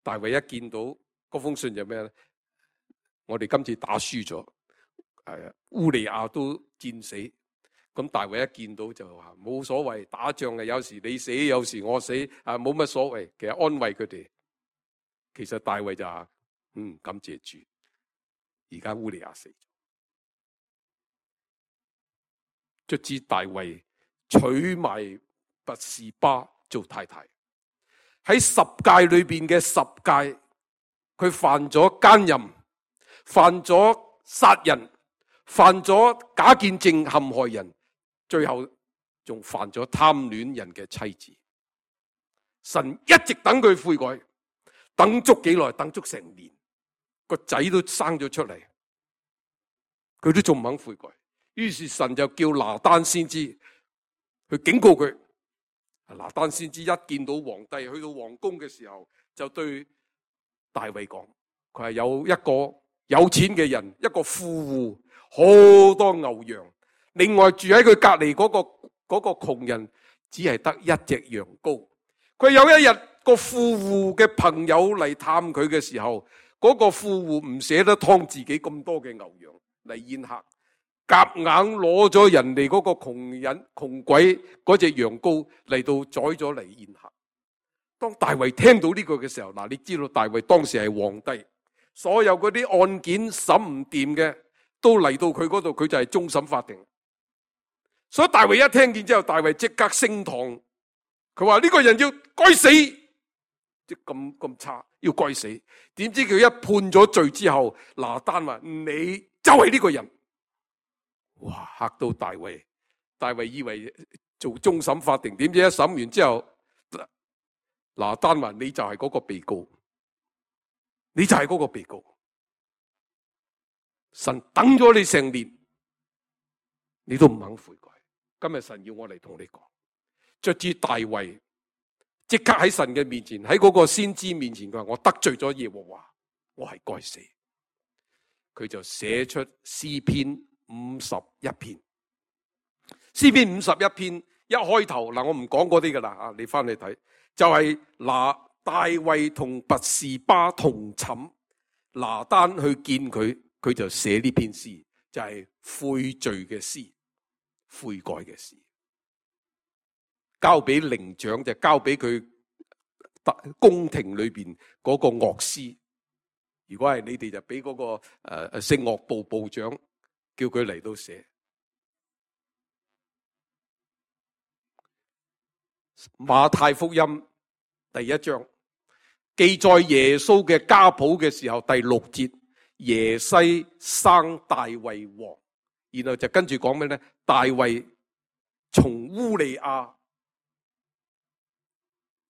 大衛一見到嗰封信就咩咧？我哋今次打輸咗，係啊，烏利亞都戰死。咁大衛一見到就話冇所謂，打仗嘅有時你死，有時我死，啊冇乜所謂。其實安慰佢哋。其實大衛就話嗯，感謝主，而家烏利亞死咗。卒之大衛娶埋拔示巴做太太。喺十誡裏邊嘅十誡，佢犯咗奸淫，犯咗殺人，犯咗假見證陷害人，最後仲犯咗貪戀人嘅妻子。神一直等佢悔改，等足幾耐？等足成年，個仔都生咗出嚟，佢都仲唔肯悔改。於是神就叫拿單先知去警告佢。拿單先知一見到皇帝去到皇宮嘅時候，就對大衛講：佢係有一個有錢嘅人，一個富戶，好多牛羊。另外住喺佢隔籬嗰個嗰個窮人，只係得一隻羊羔。佢有一日個富戶嘅朋友嚟探佢嘅時候，嗰個富戶唔捨得劏自己咁多嘅牛羊嚟宴客。夾硬攞咗人哋嗰個窮人窮鬼嗰隻羊羔嚟到宰咗嚟宴客。當大衛聽到呢個嘅時候，嗱，你知道大衛當時係皇帝，所有嗰啲案件審唔掂嘅都嚟到佢嗰度，佢就係終審法庭。所以大衛一聽見之後，大衛即刻升堂，佢話呢個人要該死，即咁咁差，要該死。點知佢一判咗罪之後，拿單話你就係呢個人。哇！嚇到大衛，大衛以為做終審法庭，點知一審完之後，拿單話你就係嗰個被告，你就係嗰個被告。神等咗你成年，你都唔肯悔改。今日神要我嚟同你講，卒之大衛即刻喺神嘅面前，喺嗰個先知面前，佢話我得罪咗耶和華，我係該死。佢就寫出詩篇五十一篇。詩篇五十一篇一開頭，嗱，我唔講嗰啲噶啦啊，你翻去睇，就係拿大衛同拔示巴同寢，拿單去見佢，佢就寫呢篇詩，就係悔罪嘅詩，悔改嘅詩，交俾伶長，就交俾佢宮廷裏邊嗰個樂師。如果係你哋就俾嗰、那個誒誒聖樂部部長叫佢嚟到寫。馬太福音第一章記載耶穌嘅家譜嘅時候，第六節，耶西生大衛王，然後就跟住講咩咧？大衛從烏利亞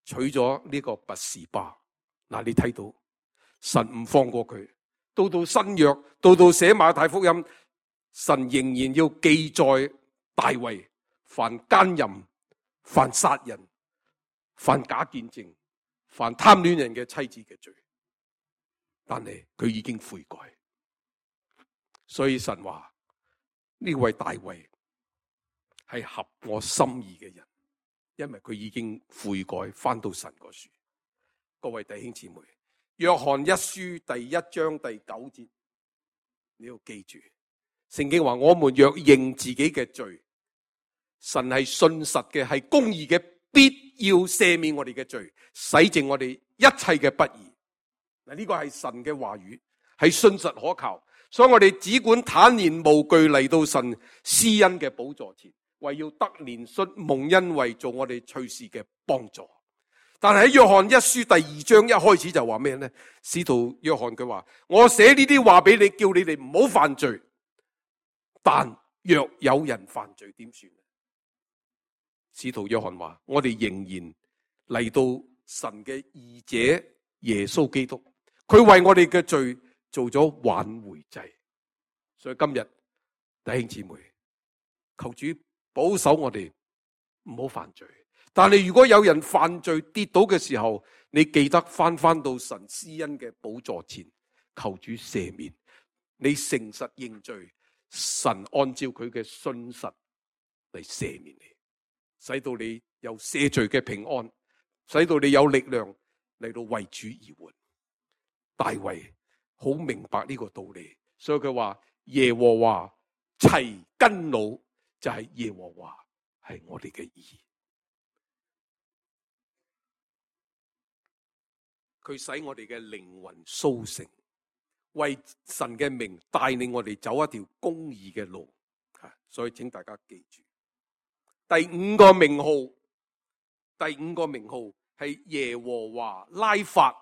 娶咗呢個拔示巴。嗱，你睇到神唔放過佢，到到新約，到到寫馬太福音，神仍然要記載大衛犯奸淫、犯殺人、犯假見證、犯貪戀人嘅妻子嘅罪，但係佢已經悔改，所以神話呢位大衛係合我心意嘅人，因為佢已經悔改，翻到神嗰處。各位弟兄姊妹，約翰一書第一章第九節，你要記住，聖經話我們若認自己嘅罪，神係信實嘅，係公義嘅，必要赦免我哋嘅罪，洗淨我哋一切嘅不義。嗱，呢個係神嘅話語，係信實可靠，所以我哋只管坦然無懼嚟到神施恩嘅寶座前，為要得憐恤蒙恩惠，做我哋隨時嘅幫助。但係喺約翰一書第二章一開始就話咩呢？使徒約翰佢話：我寫呢啲話俾你，叫你哋唔好犯罪。但若有人犯罪，點算？使徒約翰話：我哋仍然嚟到神嘅義者耶穌基督，佢為我哋嘅罪做咗挽回祭。所以今日弟兄姊妹，求主保守我哋唔好犯罪。但係如果有人犯罪跌倒嘅時候，你記得翻翻到神施恩嘅寶座前，求主赦免。你誠實認罪，神按照佢嘅信實嚟赦免你，使到你有赦罪嘅平安，使到你有力量嚟到為主而活。大衛好明白呢個道理，所以佢話耶和華齊根老，就係耶和華係我哋嘅義。佢使我哋嘅靈魂甦醒，為神嘅名帶領我哋走一條公義嘅路。所以請大家記住，第五個名號，第五個名號係耶和華拉法。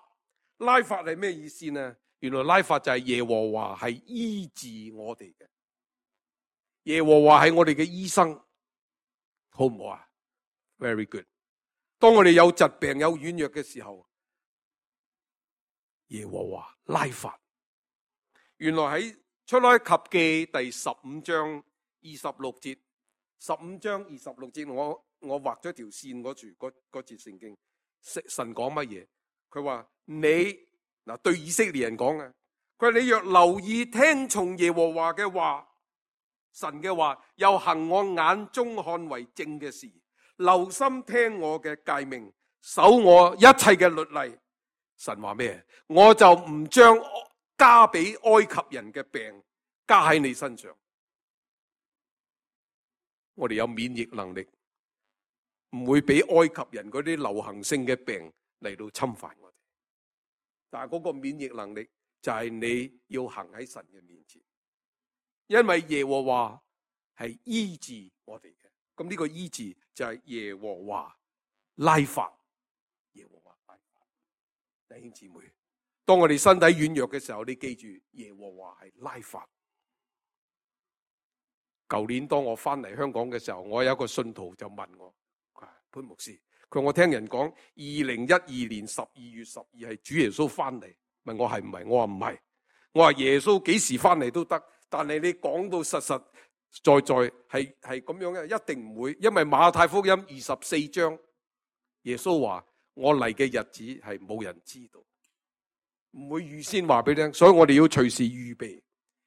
拉法係咩意思呢？原來拉法就係耶和華係醫治我哋嘅，耶和華係我哋嘅醫生，好唔好啊？ Very good。當我哋有疾病有軟弱嘅時候，耶和華拉法。原來喺出埃及記第十五章二十六節，十五章二十六節，我我畫咗條線嗰處，嗰嗰節聖經，神講乜嘢？佢話你嗱，對以色列人講嘅，佢話你若留意聽從耶和華嘅話，神嘅話，又行我眼中看為正嘅事，留心聽我嘅誡命，守我一切嘅律例。神話咩？我就唔將加俾埃及人嘅病加喺你身上。我哋有免疫能力，唔會俾埃及人嗰啲流行性嘅病嚟到侵犯我哋。但係嗰個免疫能力就係你要行喺神嘅面前，因為耶和華係醫治我哋嘅。咁呢個醫治就係耶和華拉法，耶和華拉法。弟兄姊妹，當我哋身體軟弱嘅時候，你記住耶和華係拉法。舊年當我翻嚟香港嘅時候，我有一個信徒就問我，潘牧師，佢話我聽人講二零一二年十二月十二係主耶穌翻嚟，問我係唔係？我話唔係，我話耶穌幾時翻嚟都得，但係你講到實實在在係係咁樣嘅，一定唔會，因為馬太福音二十四章，耶穌話我嚟嘅日子係冇人知道，唔會預先話俾你聽，所以我哋要隨時預備。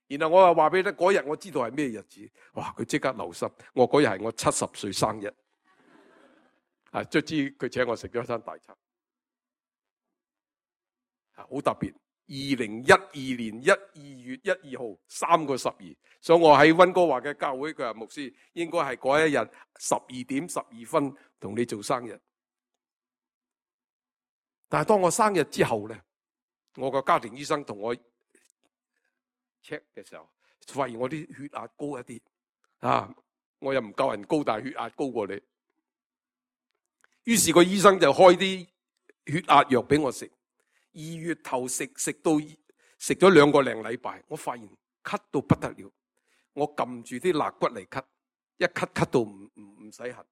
然後我又話俾你聽，嗰日我知道係咩日子，哇！佢即刻留心，我嗰日係我七十歲生日，啊，卒之佢請我食咗一餐大餐，啊，好特別。二零一二年一二月一二號三個十二，所以我喺溫哥華嘅教會，佢話牧師應該係嗰一日十二點十二分同你做生日。但係當我生日之後咧，我個家庭醫生同我 check 嘅時候，發現我啲血壓高一啲，啊，我又唔夠人高，但係血壓高過你。於是個醫生就開啲血壓藥俾我食。二月頭食食到食咗兩個零禮拜，我發現咳到不得了，我撳住啲肋骨嚟咳，一咳咳到唔唔唔使痕。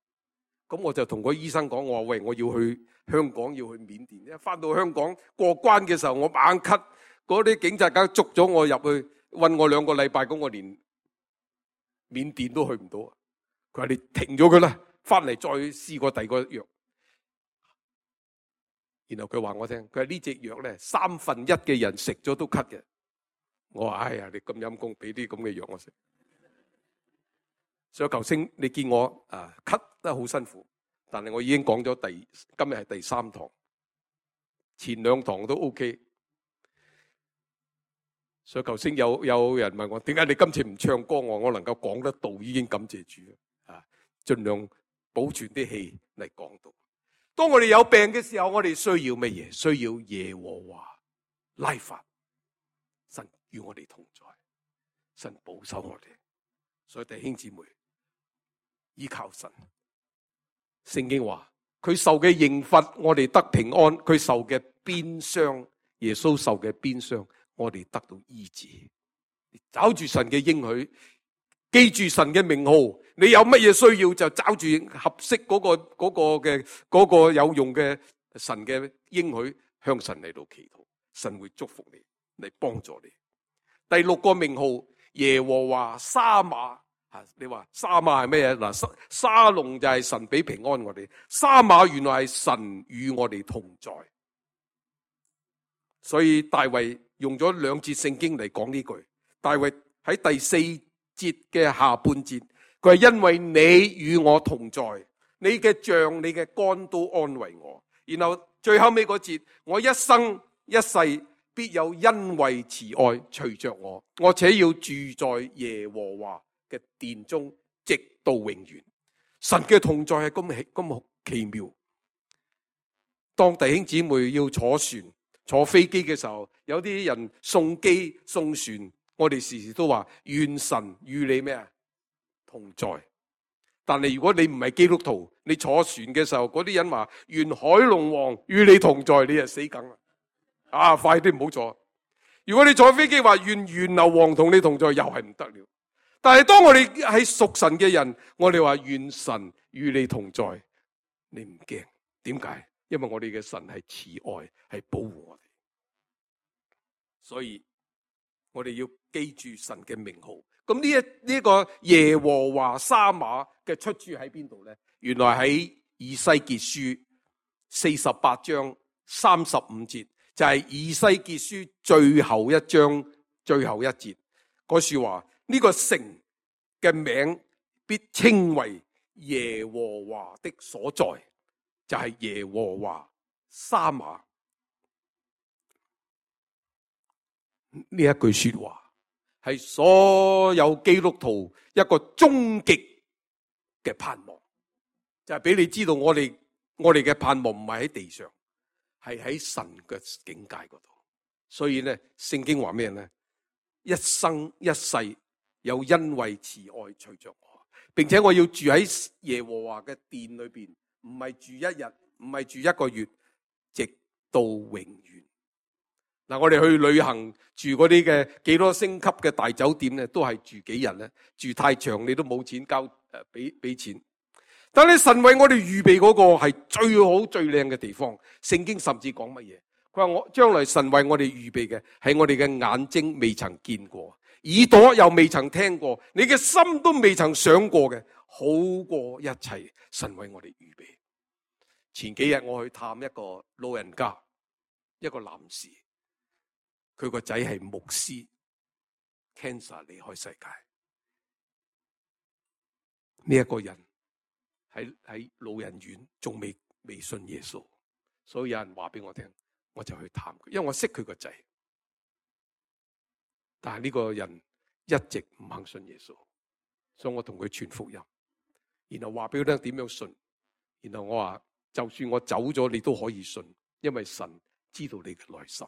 咁我就同個醫生講，我話喂，我要去香港，要去緬甸。一翻到香港過關嘅時候，我猛咳，嗰啲警察梗捉咗我入去，韞我兩個禮拜，咁我連緬甸都去唔到。佢話你停咗佢啦，翻嚟再試過第二個藥。然後佢話我聽，佢話呢隻藥咧，三分一嘅人食咗都咳嘅。我話哎呀，你咁陰功，俾啲咁嘅藥我食。所以求星，你見我啊咳得好辛苦，但係我已經講咗第今日係第三堂，前兩堂都 OK。所以求星有有人問我，點解你今次唔唱歌？我我能夠講得到，已經感謝主啊！盡量保存啲氣嚟講到。當我哋有病嘅時候，我哋需要乜嘢？需要耶和華拉法，神與我哋同在，神保守我哋。所以弟兄姊妹，依靠神。聖經話佢受嘅刑罰，我哋得平安；佢受嘅鞭傷，耶穌受嘅鞭傷，我哋得到醫治。找住神嘅應許，記住神嘅名號。你有乜嘢需要就找住合適嗰個嗰個嘅嗰個有用嘅神嘅應許，向神嚟到祈禱，神會祝福你，嚟幫助你。第六個名號耶和華沙馬，你話沙馬係咩嘢？嗱，沙沙龍就係神俾平安我哋，沙馬原來係神與我哋同在。所以大衛用咗兩節聖經嚟講呢句。大衛喺第四節嘅下半節，佢係因為你與我同在，你嘅杖、你嘅竿都安慰我。然後最後尾嗰節，我一生一世必有恩惠慈愛隨着我，我且要住在耶和華嘅殿中，直到永遠。神嘅同在係咁咁奇妙。當弟兄姊妹要坐船、坐飛機嘅時候，有啲人送機送船，我哋時時都話願神與你咩啊？同在。但係如果你唔係基督徒，你坐船嘅時候，嗰啲人話願海龍王與你同在，你就死梗啦！啊，快啲唔好坐。如果你坐飛機話願源流王同你同在，又係唔得了。但係當我哋係屬神嘅人，我哋話願神與你同在，你唔驚。點解？因為我哋嘅神係慈愛，係保護我哋。所以我哋要記住神嘅名號。咁呢一呢個耶和華沙馬嘅出處喺邊度咧？原來喺以西結書四十八章三十五節，就係、是、以西結書最後一章最後一節嗰說話。呢、這個城嘅名必稱為耶和華的所在，就係、是、耶和華沙馬。呢一句說話係所有基督徒一個終極嘅盼望，就係俾你知道我哋我哋嘅盼望唔係喺地上，係喺神嘅境界嗰度。所以咧，聖經話咩咧？一生一世有恩惠慈愛隨着我，並且我要住喺耶和華嘅殿裏邊，唔係住一日，唔係住一個月，直到永遠。嗱，我哋去旅行住嗰啲嘅幾多星級嘅大酒店咧，都係住幾日咧？住太長你都冇錢交誒，俾俾錢。但係神為我哋預備嗰個係最好最靚嘅地方。聖經甚至講乜嘢？佢話我將來神為我哋預備嘅係我哋嘅眼睛未曾見過，耳朵又未曾聽過，你嘅心都未曾想過嘅，好過一切。神為我哋預備。前幾日我去探一個老人家，一個男士。佢個仔係牧師 ，cancer 離開世界。呢、這、一個人喺喺老人院，仲未未信耶穌，所以有人話俾我聽，我就去探佢，因為我識佢個仔。但係呢個人一直唔肯信耶穌，所以我同佢傳福音，然後話俾佢聽點樣信。然後我話，就算我走咗，你都可以信，因為神知道你嘅內心。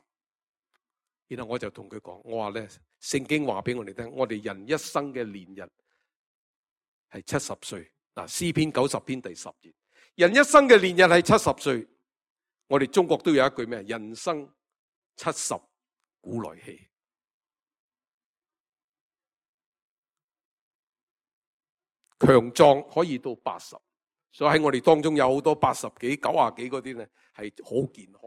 然後我就同佢講，我話咧，聖經話俾我哋聽，我哋人一生嘅年日係七十歲。嗱，詩篇九十篇第十節，人一生嘅年日係七十歲。我哋中國都有一句咩？人生七十古來稀。強壯可以到八十，所以喺我哋當中有好多八十幾、九啊幾嗰啲咧，係好健康。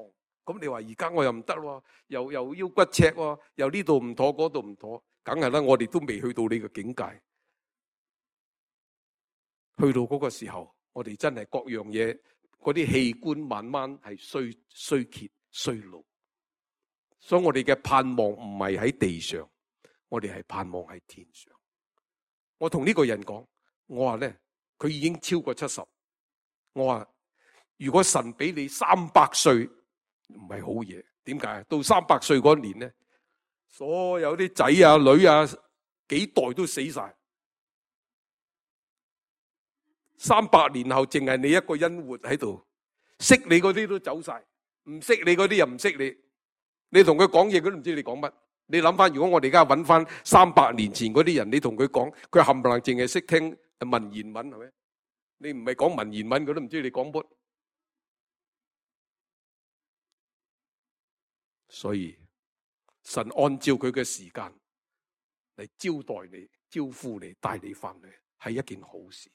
咁你話而家我又唔得喎，又又腰骨赤喎，又呢度唔妥，嗰度唔妥，梗係啦，我哋都未去到你嘅境界。去到嗰個時候，我哋真係各樣嘢，嗰啲器官慢慢係衰衰竭衰老。所以我哋嘅盼望唔係喺地上，我哋係盼望喺天上。我同呢個人講，我話咧，佢已經超過七十。我話如果神俾你三百歲。唔係好嘢，點解？到三百歲嗰年咧，所有啲仔啊女啊幾代都死晒，三百年後淨係你一個人活喺度，識你嗰啲都走晒，唔識你嗰啲又唔識你，你同佢講嘢佢都唔知你講乜。你諗翻，如果我哋而家揾翻三百年前嗰啲人，你同佢講，佢冚唪唥淨係識聽文言文，係咪？你唔係講文言文，佢都唔知你講乜。所以神按照佢嘅時間嚟招待你、招呼你、帶你翻去，係一件好事。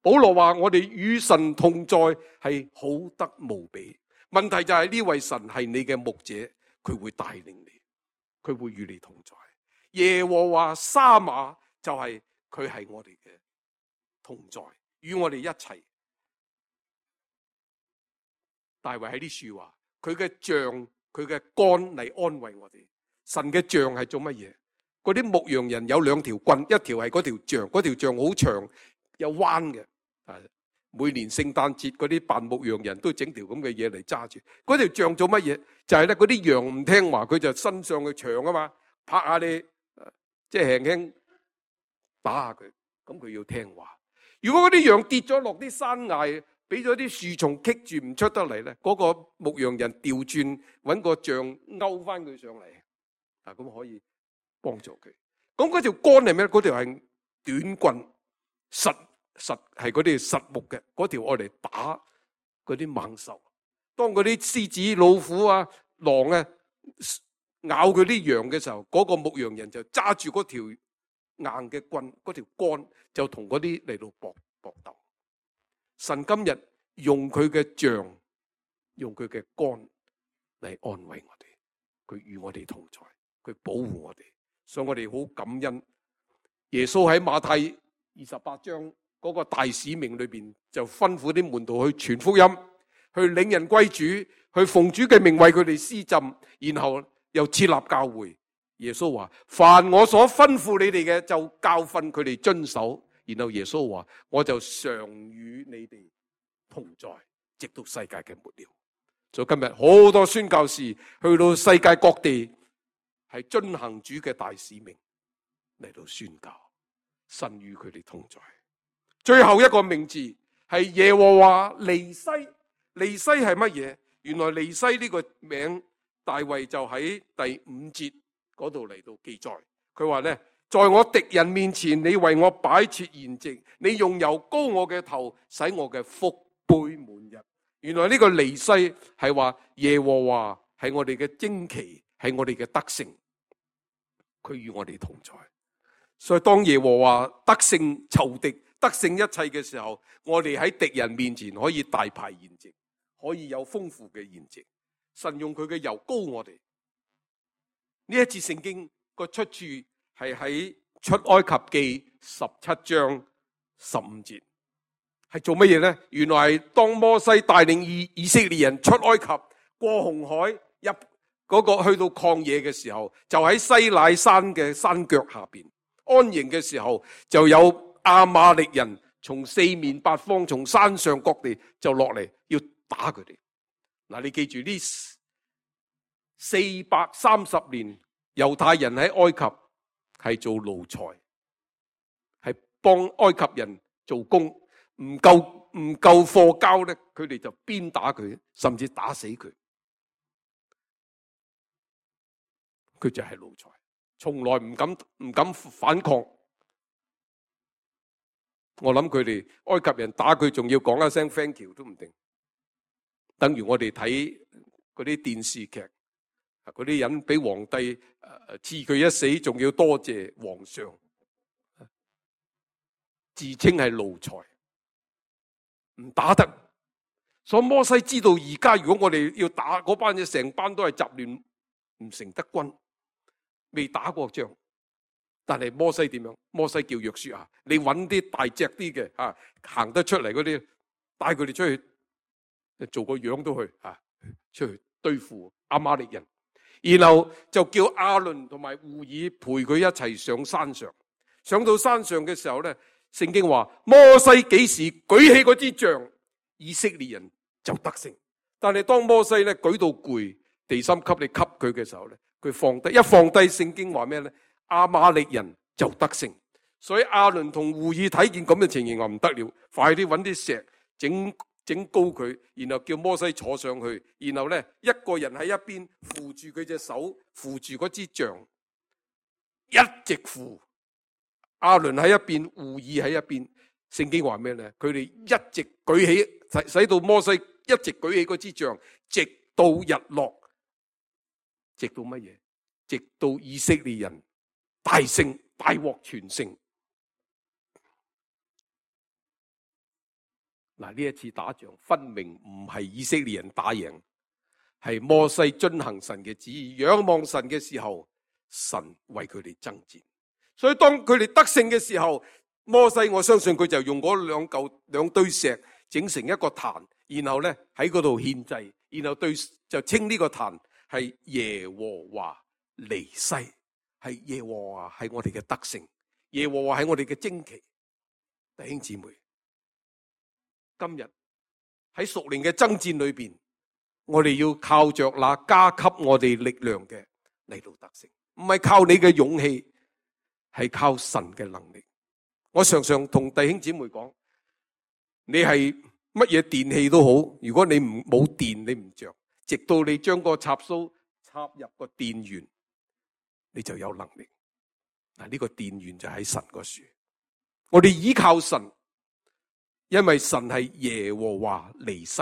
保羅話我哋與神同在係好得無比。問題就係呢位神係你嘅牧者，佢會帶領你，佢會與你同在。耶和華沙馬就係佢係我哋嘅同在，與我哋一齊。大衛喺啲書話佢嘅杖。佢嘅竿嚟安慰我哋。神嘅杖係做乜嘢？嗰啲牧羊人有兩條棍，一條係嗰條杖，嗰條杖好長有彎嘅。每年聖誕節嗰啲扮牧羊人都整條咁嘅嘢嚟揸住。嗰條杖做乜嘢？就係咧，嗰啲羊唔聽話，佢就伸上去長啊嘛，拍下你，即係輕輕打下佢，咁佢要聽話。如果嗰啲羊跌咗落啲山崖，俾咗啲樹叢棘住唔出得嚟咧，嗰個牧羊人調轉揾個杖勾翻佢上嚟，啊咁可以幫助佢。咁嗰條竿係咩？嗰條係短棍，實實係嗰啲實木嘅，嗰條愛嚟打嗰啲猛獸。當嗰啲獅子、老虎啊、狼啊咬佢啲羊嘅時候，嗰個牧羊人就揸住嗰條硬嘅棍，嗰條竿就同嗰啲嚟到搏搏鬥。神今日用佢嘅杖，用佢嘅竿嚟安慰我哋，佢與我哋同在，佢保護我哋，所以我哋好感恩。耶穌喺馬太二十八章嗰個大使命裏邊，就吩咐啲門徒去傳福音，去領人歸主，去奉主嘅名為佢哋施浸，然後又設立教會。耶穌話：凡我所吩咐你哋嘅，就教訓佢哋遵守。然後耶穌話：我就常與你哋同在，直到世界嘅末了。所以今日好多宣教士去到世界各地，係遵行主嘅大使命嚟到宣教。神與佢哋同在。最後一個名字係耶和華尼西。尼西係乜嘢？原來尼西呢個名，大衛就喺第五節嗰度嚟到記載。佢話咧，在我敵人面前，你為我擺設筵席，你用油膏我嘅頭，使我嘅福杯滿溢。原來呢個尼西係話耶和華係我哋嘅旌旗，係我哋嘅得勝，佢與我哋同在。所以當耶和華得勝仇敵，得勝一切嘅時候，我哋喺敵人面前可以大排筵席，可以有豐富嘅筵席。神用佢嘅油膏我哋。呢一節聖經個出處係喺出埃及記十七章十五節，係做乜嘢呢？原來係當摩西帶領以以色列人出埃及，過紅海入嗰個去到曠野嘅時候，就喺西乃山嘅山腳下邊安營嘅時候，就有亞瑪力人從四面八方，從山上各地就落嚟要打佢哋。嗱，你記住呢四百三十年，猶太人喺埃及係做奴才，係幫埃及人做工，唔夠唔夠貨交咧，佢哋就鞭打佢，甚至打死佢。佢就係奴才，從來唔敢唔敢反抗。我諗佢哋埃及人打佢，仲要講一聲 thank you 都唔定。等於我哋睇嗰啲電視劇，嗰啲人俾皇帝誒賜佢一死，仲要多謝皇上，自稱係奴才，唔打得。所以摩西知道而家如果我哋要打嗰班嘢，成班都係雜亂，唔成得軍，未打過仗。但係摩西點樣？摩西叫約書亞，你揾啲大隻啲嘅啊，行得出嚟嗰啲，帶佢哋出去。做個樣都去啊，出去對付亞瑪力人，然後就叫亞倫同埋戶珥陪佢一齊上山上。上到山上嘅時候咧，聖經話摩西幾時舉起嗰支杖，以色列人就得勝。但係當摩西咧舉到攰，地心吸力吸佢嘅時候咧，佢放低，一放低，聖經話咩咧？亞瑪力人就得勝。所以亞倫同戶珥睇見咁嘅情形，話唔得了，快啲揾啲石整。整高佢，然後叫摩西坐上去，然後咧一個人喺一邊扶住佢隻手，扶住嗰支杖，一直扶。亞倫喺一邊，戶珥喺一邊。聖經話咩咧？佢哋一直舉起，使使到摩西一直舉起嗰支杖，直到日落，直到乜嘢？直到以色列人大勝，大獲全勝。嗱，呢一次打仗分明唔係以色列人打贏，係摩西遵行神嘅旨意，仰望神嘅時候，神為佢哋爭戰。所以當佢哋得勝嘅時候，摩西我相信佢就用嗰兩嚿兩堆石整成一個壇，然後咧喺嗰度獻祭，然後對就稱呢個壇係耶和華尼西，係耶和華係我哋嘅得勝，耶和華係我哋嘅旌旗。弟兄姊妹，今日喺屬靈嘅爭戰裏邊，我哋要靠着那加給我哋力量嘅嚟到得勝，唔係靠你嘅勇氣，係靠神嘅能力。我常常同弟兄姊妹講，你係乜嘢電器都好，如果你唔冇電，你唔着，直到你將個插蘇插入個電源，你就有能力。嗱，呢個電源就喺神個樹，我哋依靠神。因為神係耶和華尼西，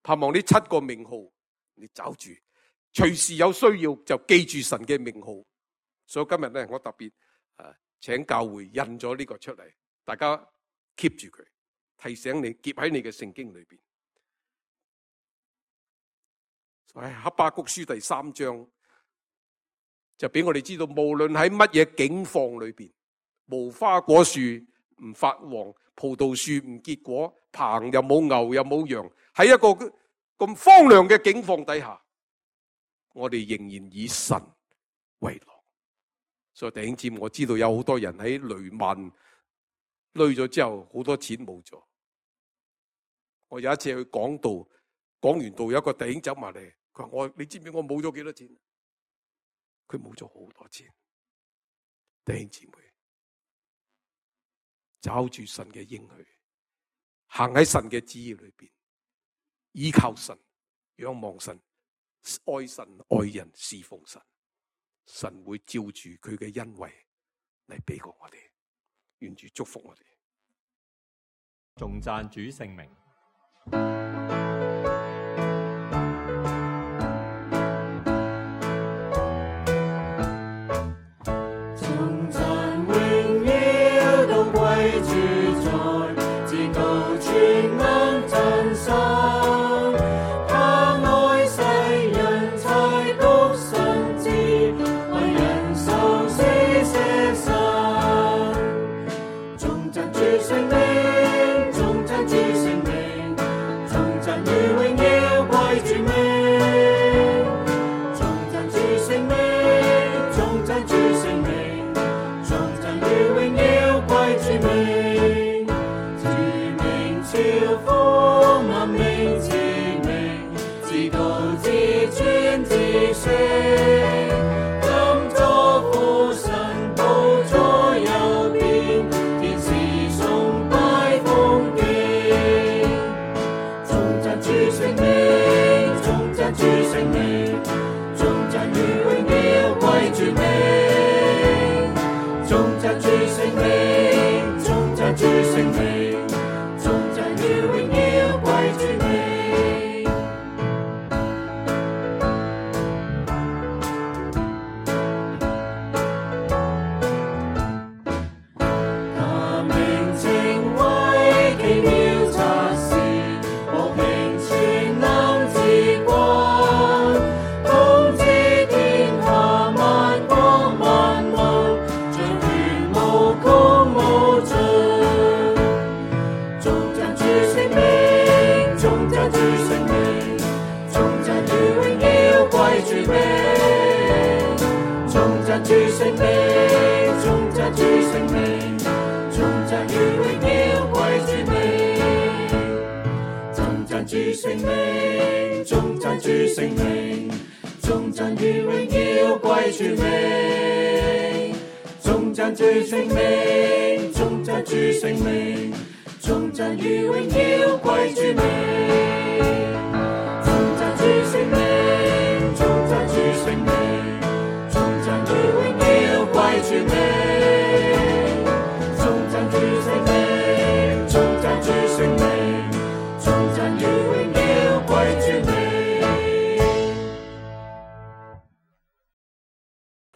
盼望呢七個名號你找住，隨時有需要就記住神嘅名號。所以今日咧，我特別誒請教會印咗呢個出嚟，大家 keep 住佢，提醒你結喺你嘅聖經裏邊。喺哈巴谷書第三章就俾我哋知道，無論喺乜嘢境況裏邊，無花果樹唔發黃，葡萄樹唔結果，棚又冇牛又冇羊，喺一個咁荒涼嘅境況底下，我哋仍然以神為樂。所以弟兄姊妹，我知道有好多人喺雷曼累咗之後，好多錢冇咗。我有一次去講道，講完道有一個弟兄走埋嚟，佢話我，你知唔知我冇咗幾多錢？佢冇咗好多錢。弟兄姊妹，找住神嘅應許，行喺神嘅旨意裏邊，依靠神，仰望神，愛神愛人，侍奉神，神會照住佢嘅恩惠嚟俾過我哋。願主祝福我哋。頌讚主聖名。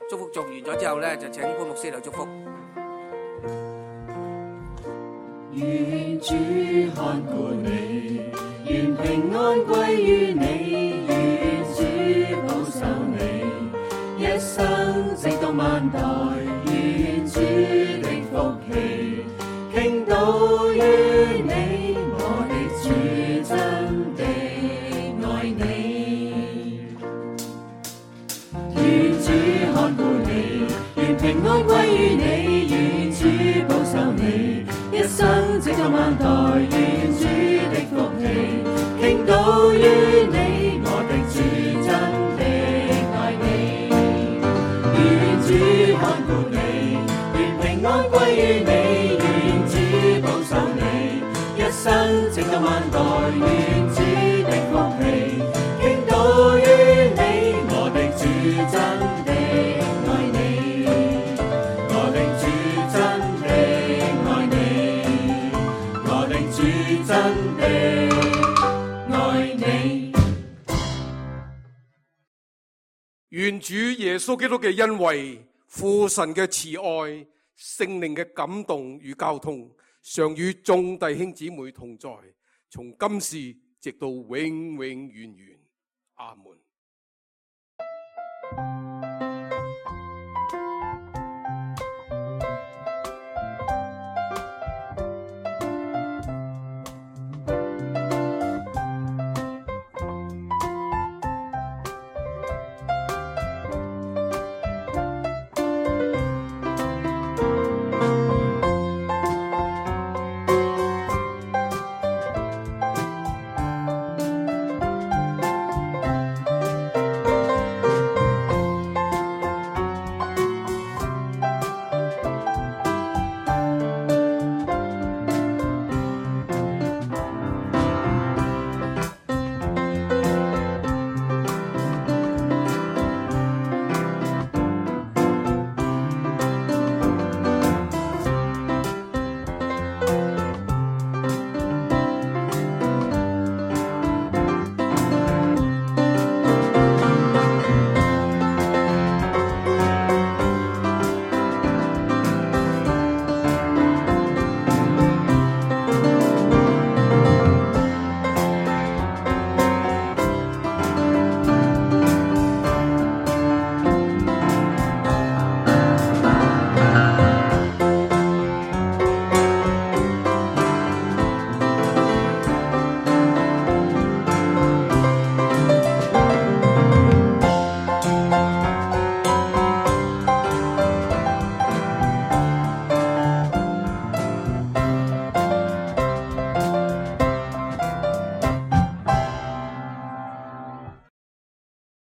祝福做完咗之後咧，就請潘牧師嚟祝福。願主看顧你，願平安歸於你，願主保守你，一生直到萬代，願主的福氣傾倒於你，我的主真的愛你。願主看顧你，願平安歸於你，願主保守你，一生直到萬代，願主的福氣傾倒於你，我的主真的愛你。願主看顧你，願平安歸於你，願主保守你，一生直到萬代，願主的福氣傾倒於你，我的主真的愛你，我的主真的愛你，我的主真的愛你。願主耶穌基督嘅恩惠、父神嘅慈愛、聖靈嘅感動與交通，常與眾弟兄姊妹同在，從今時直到永永遠遠。阿門。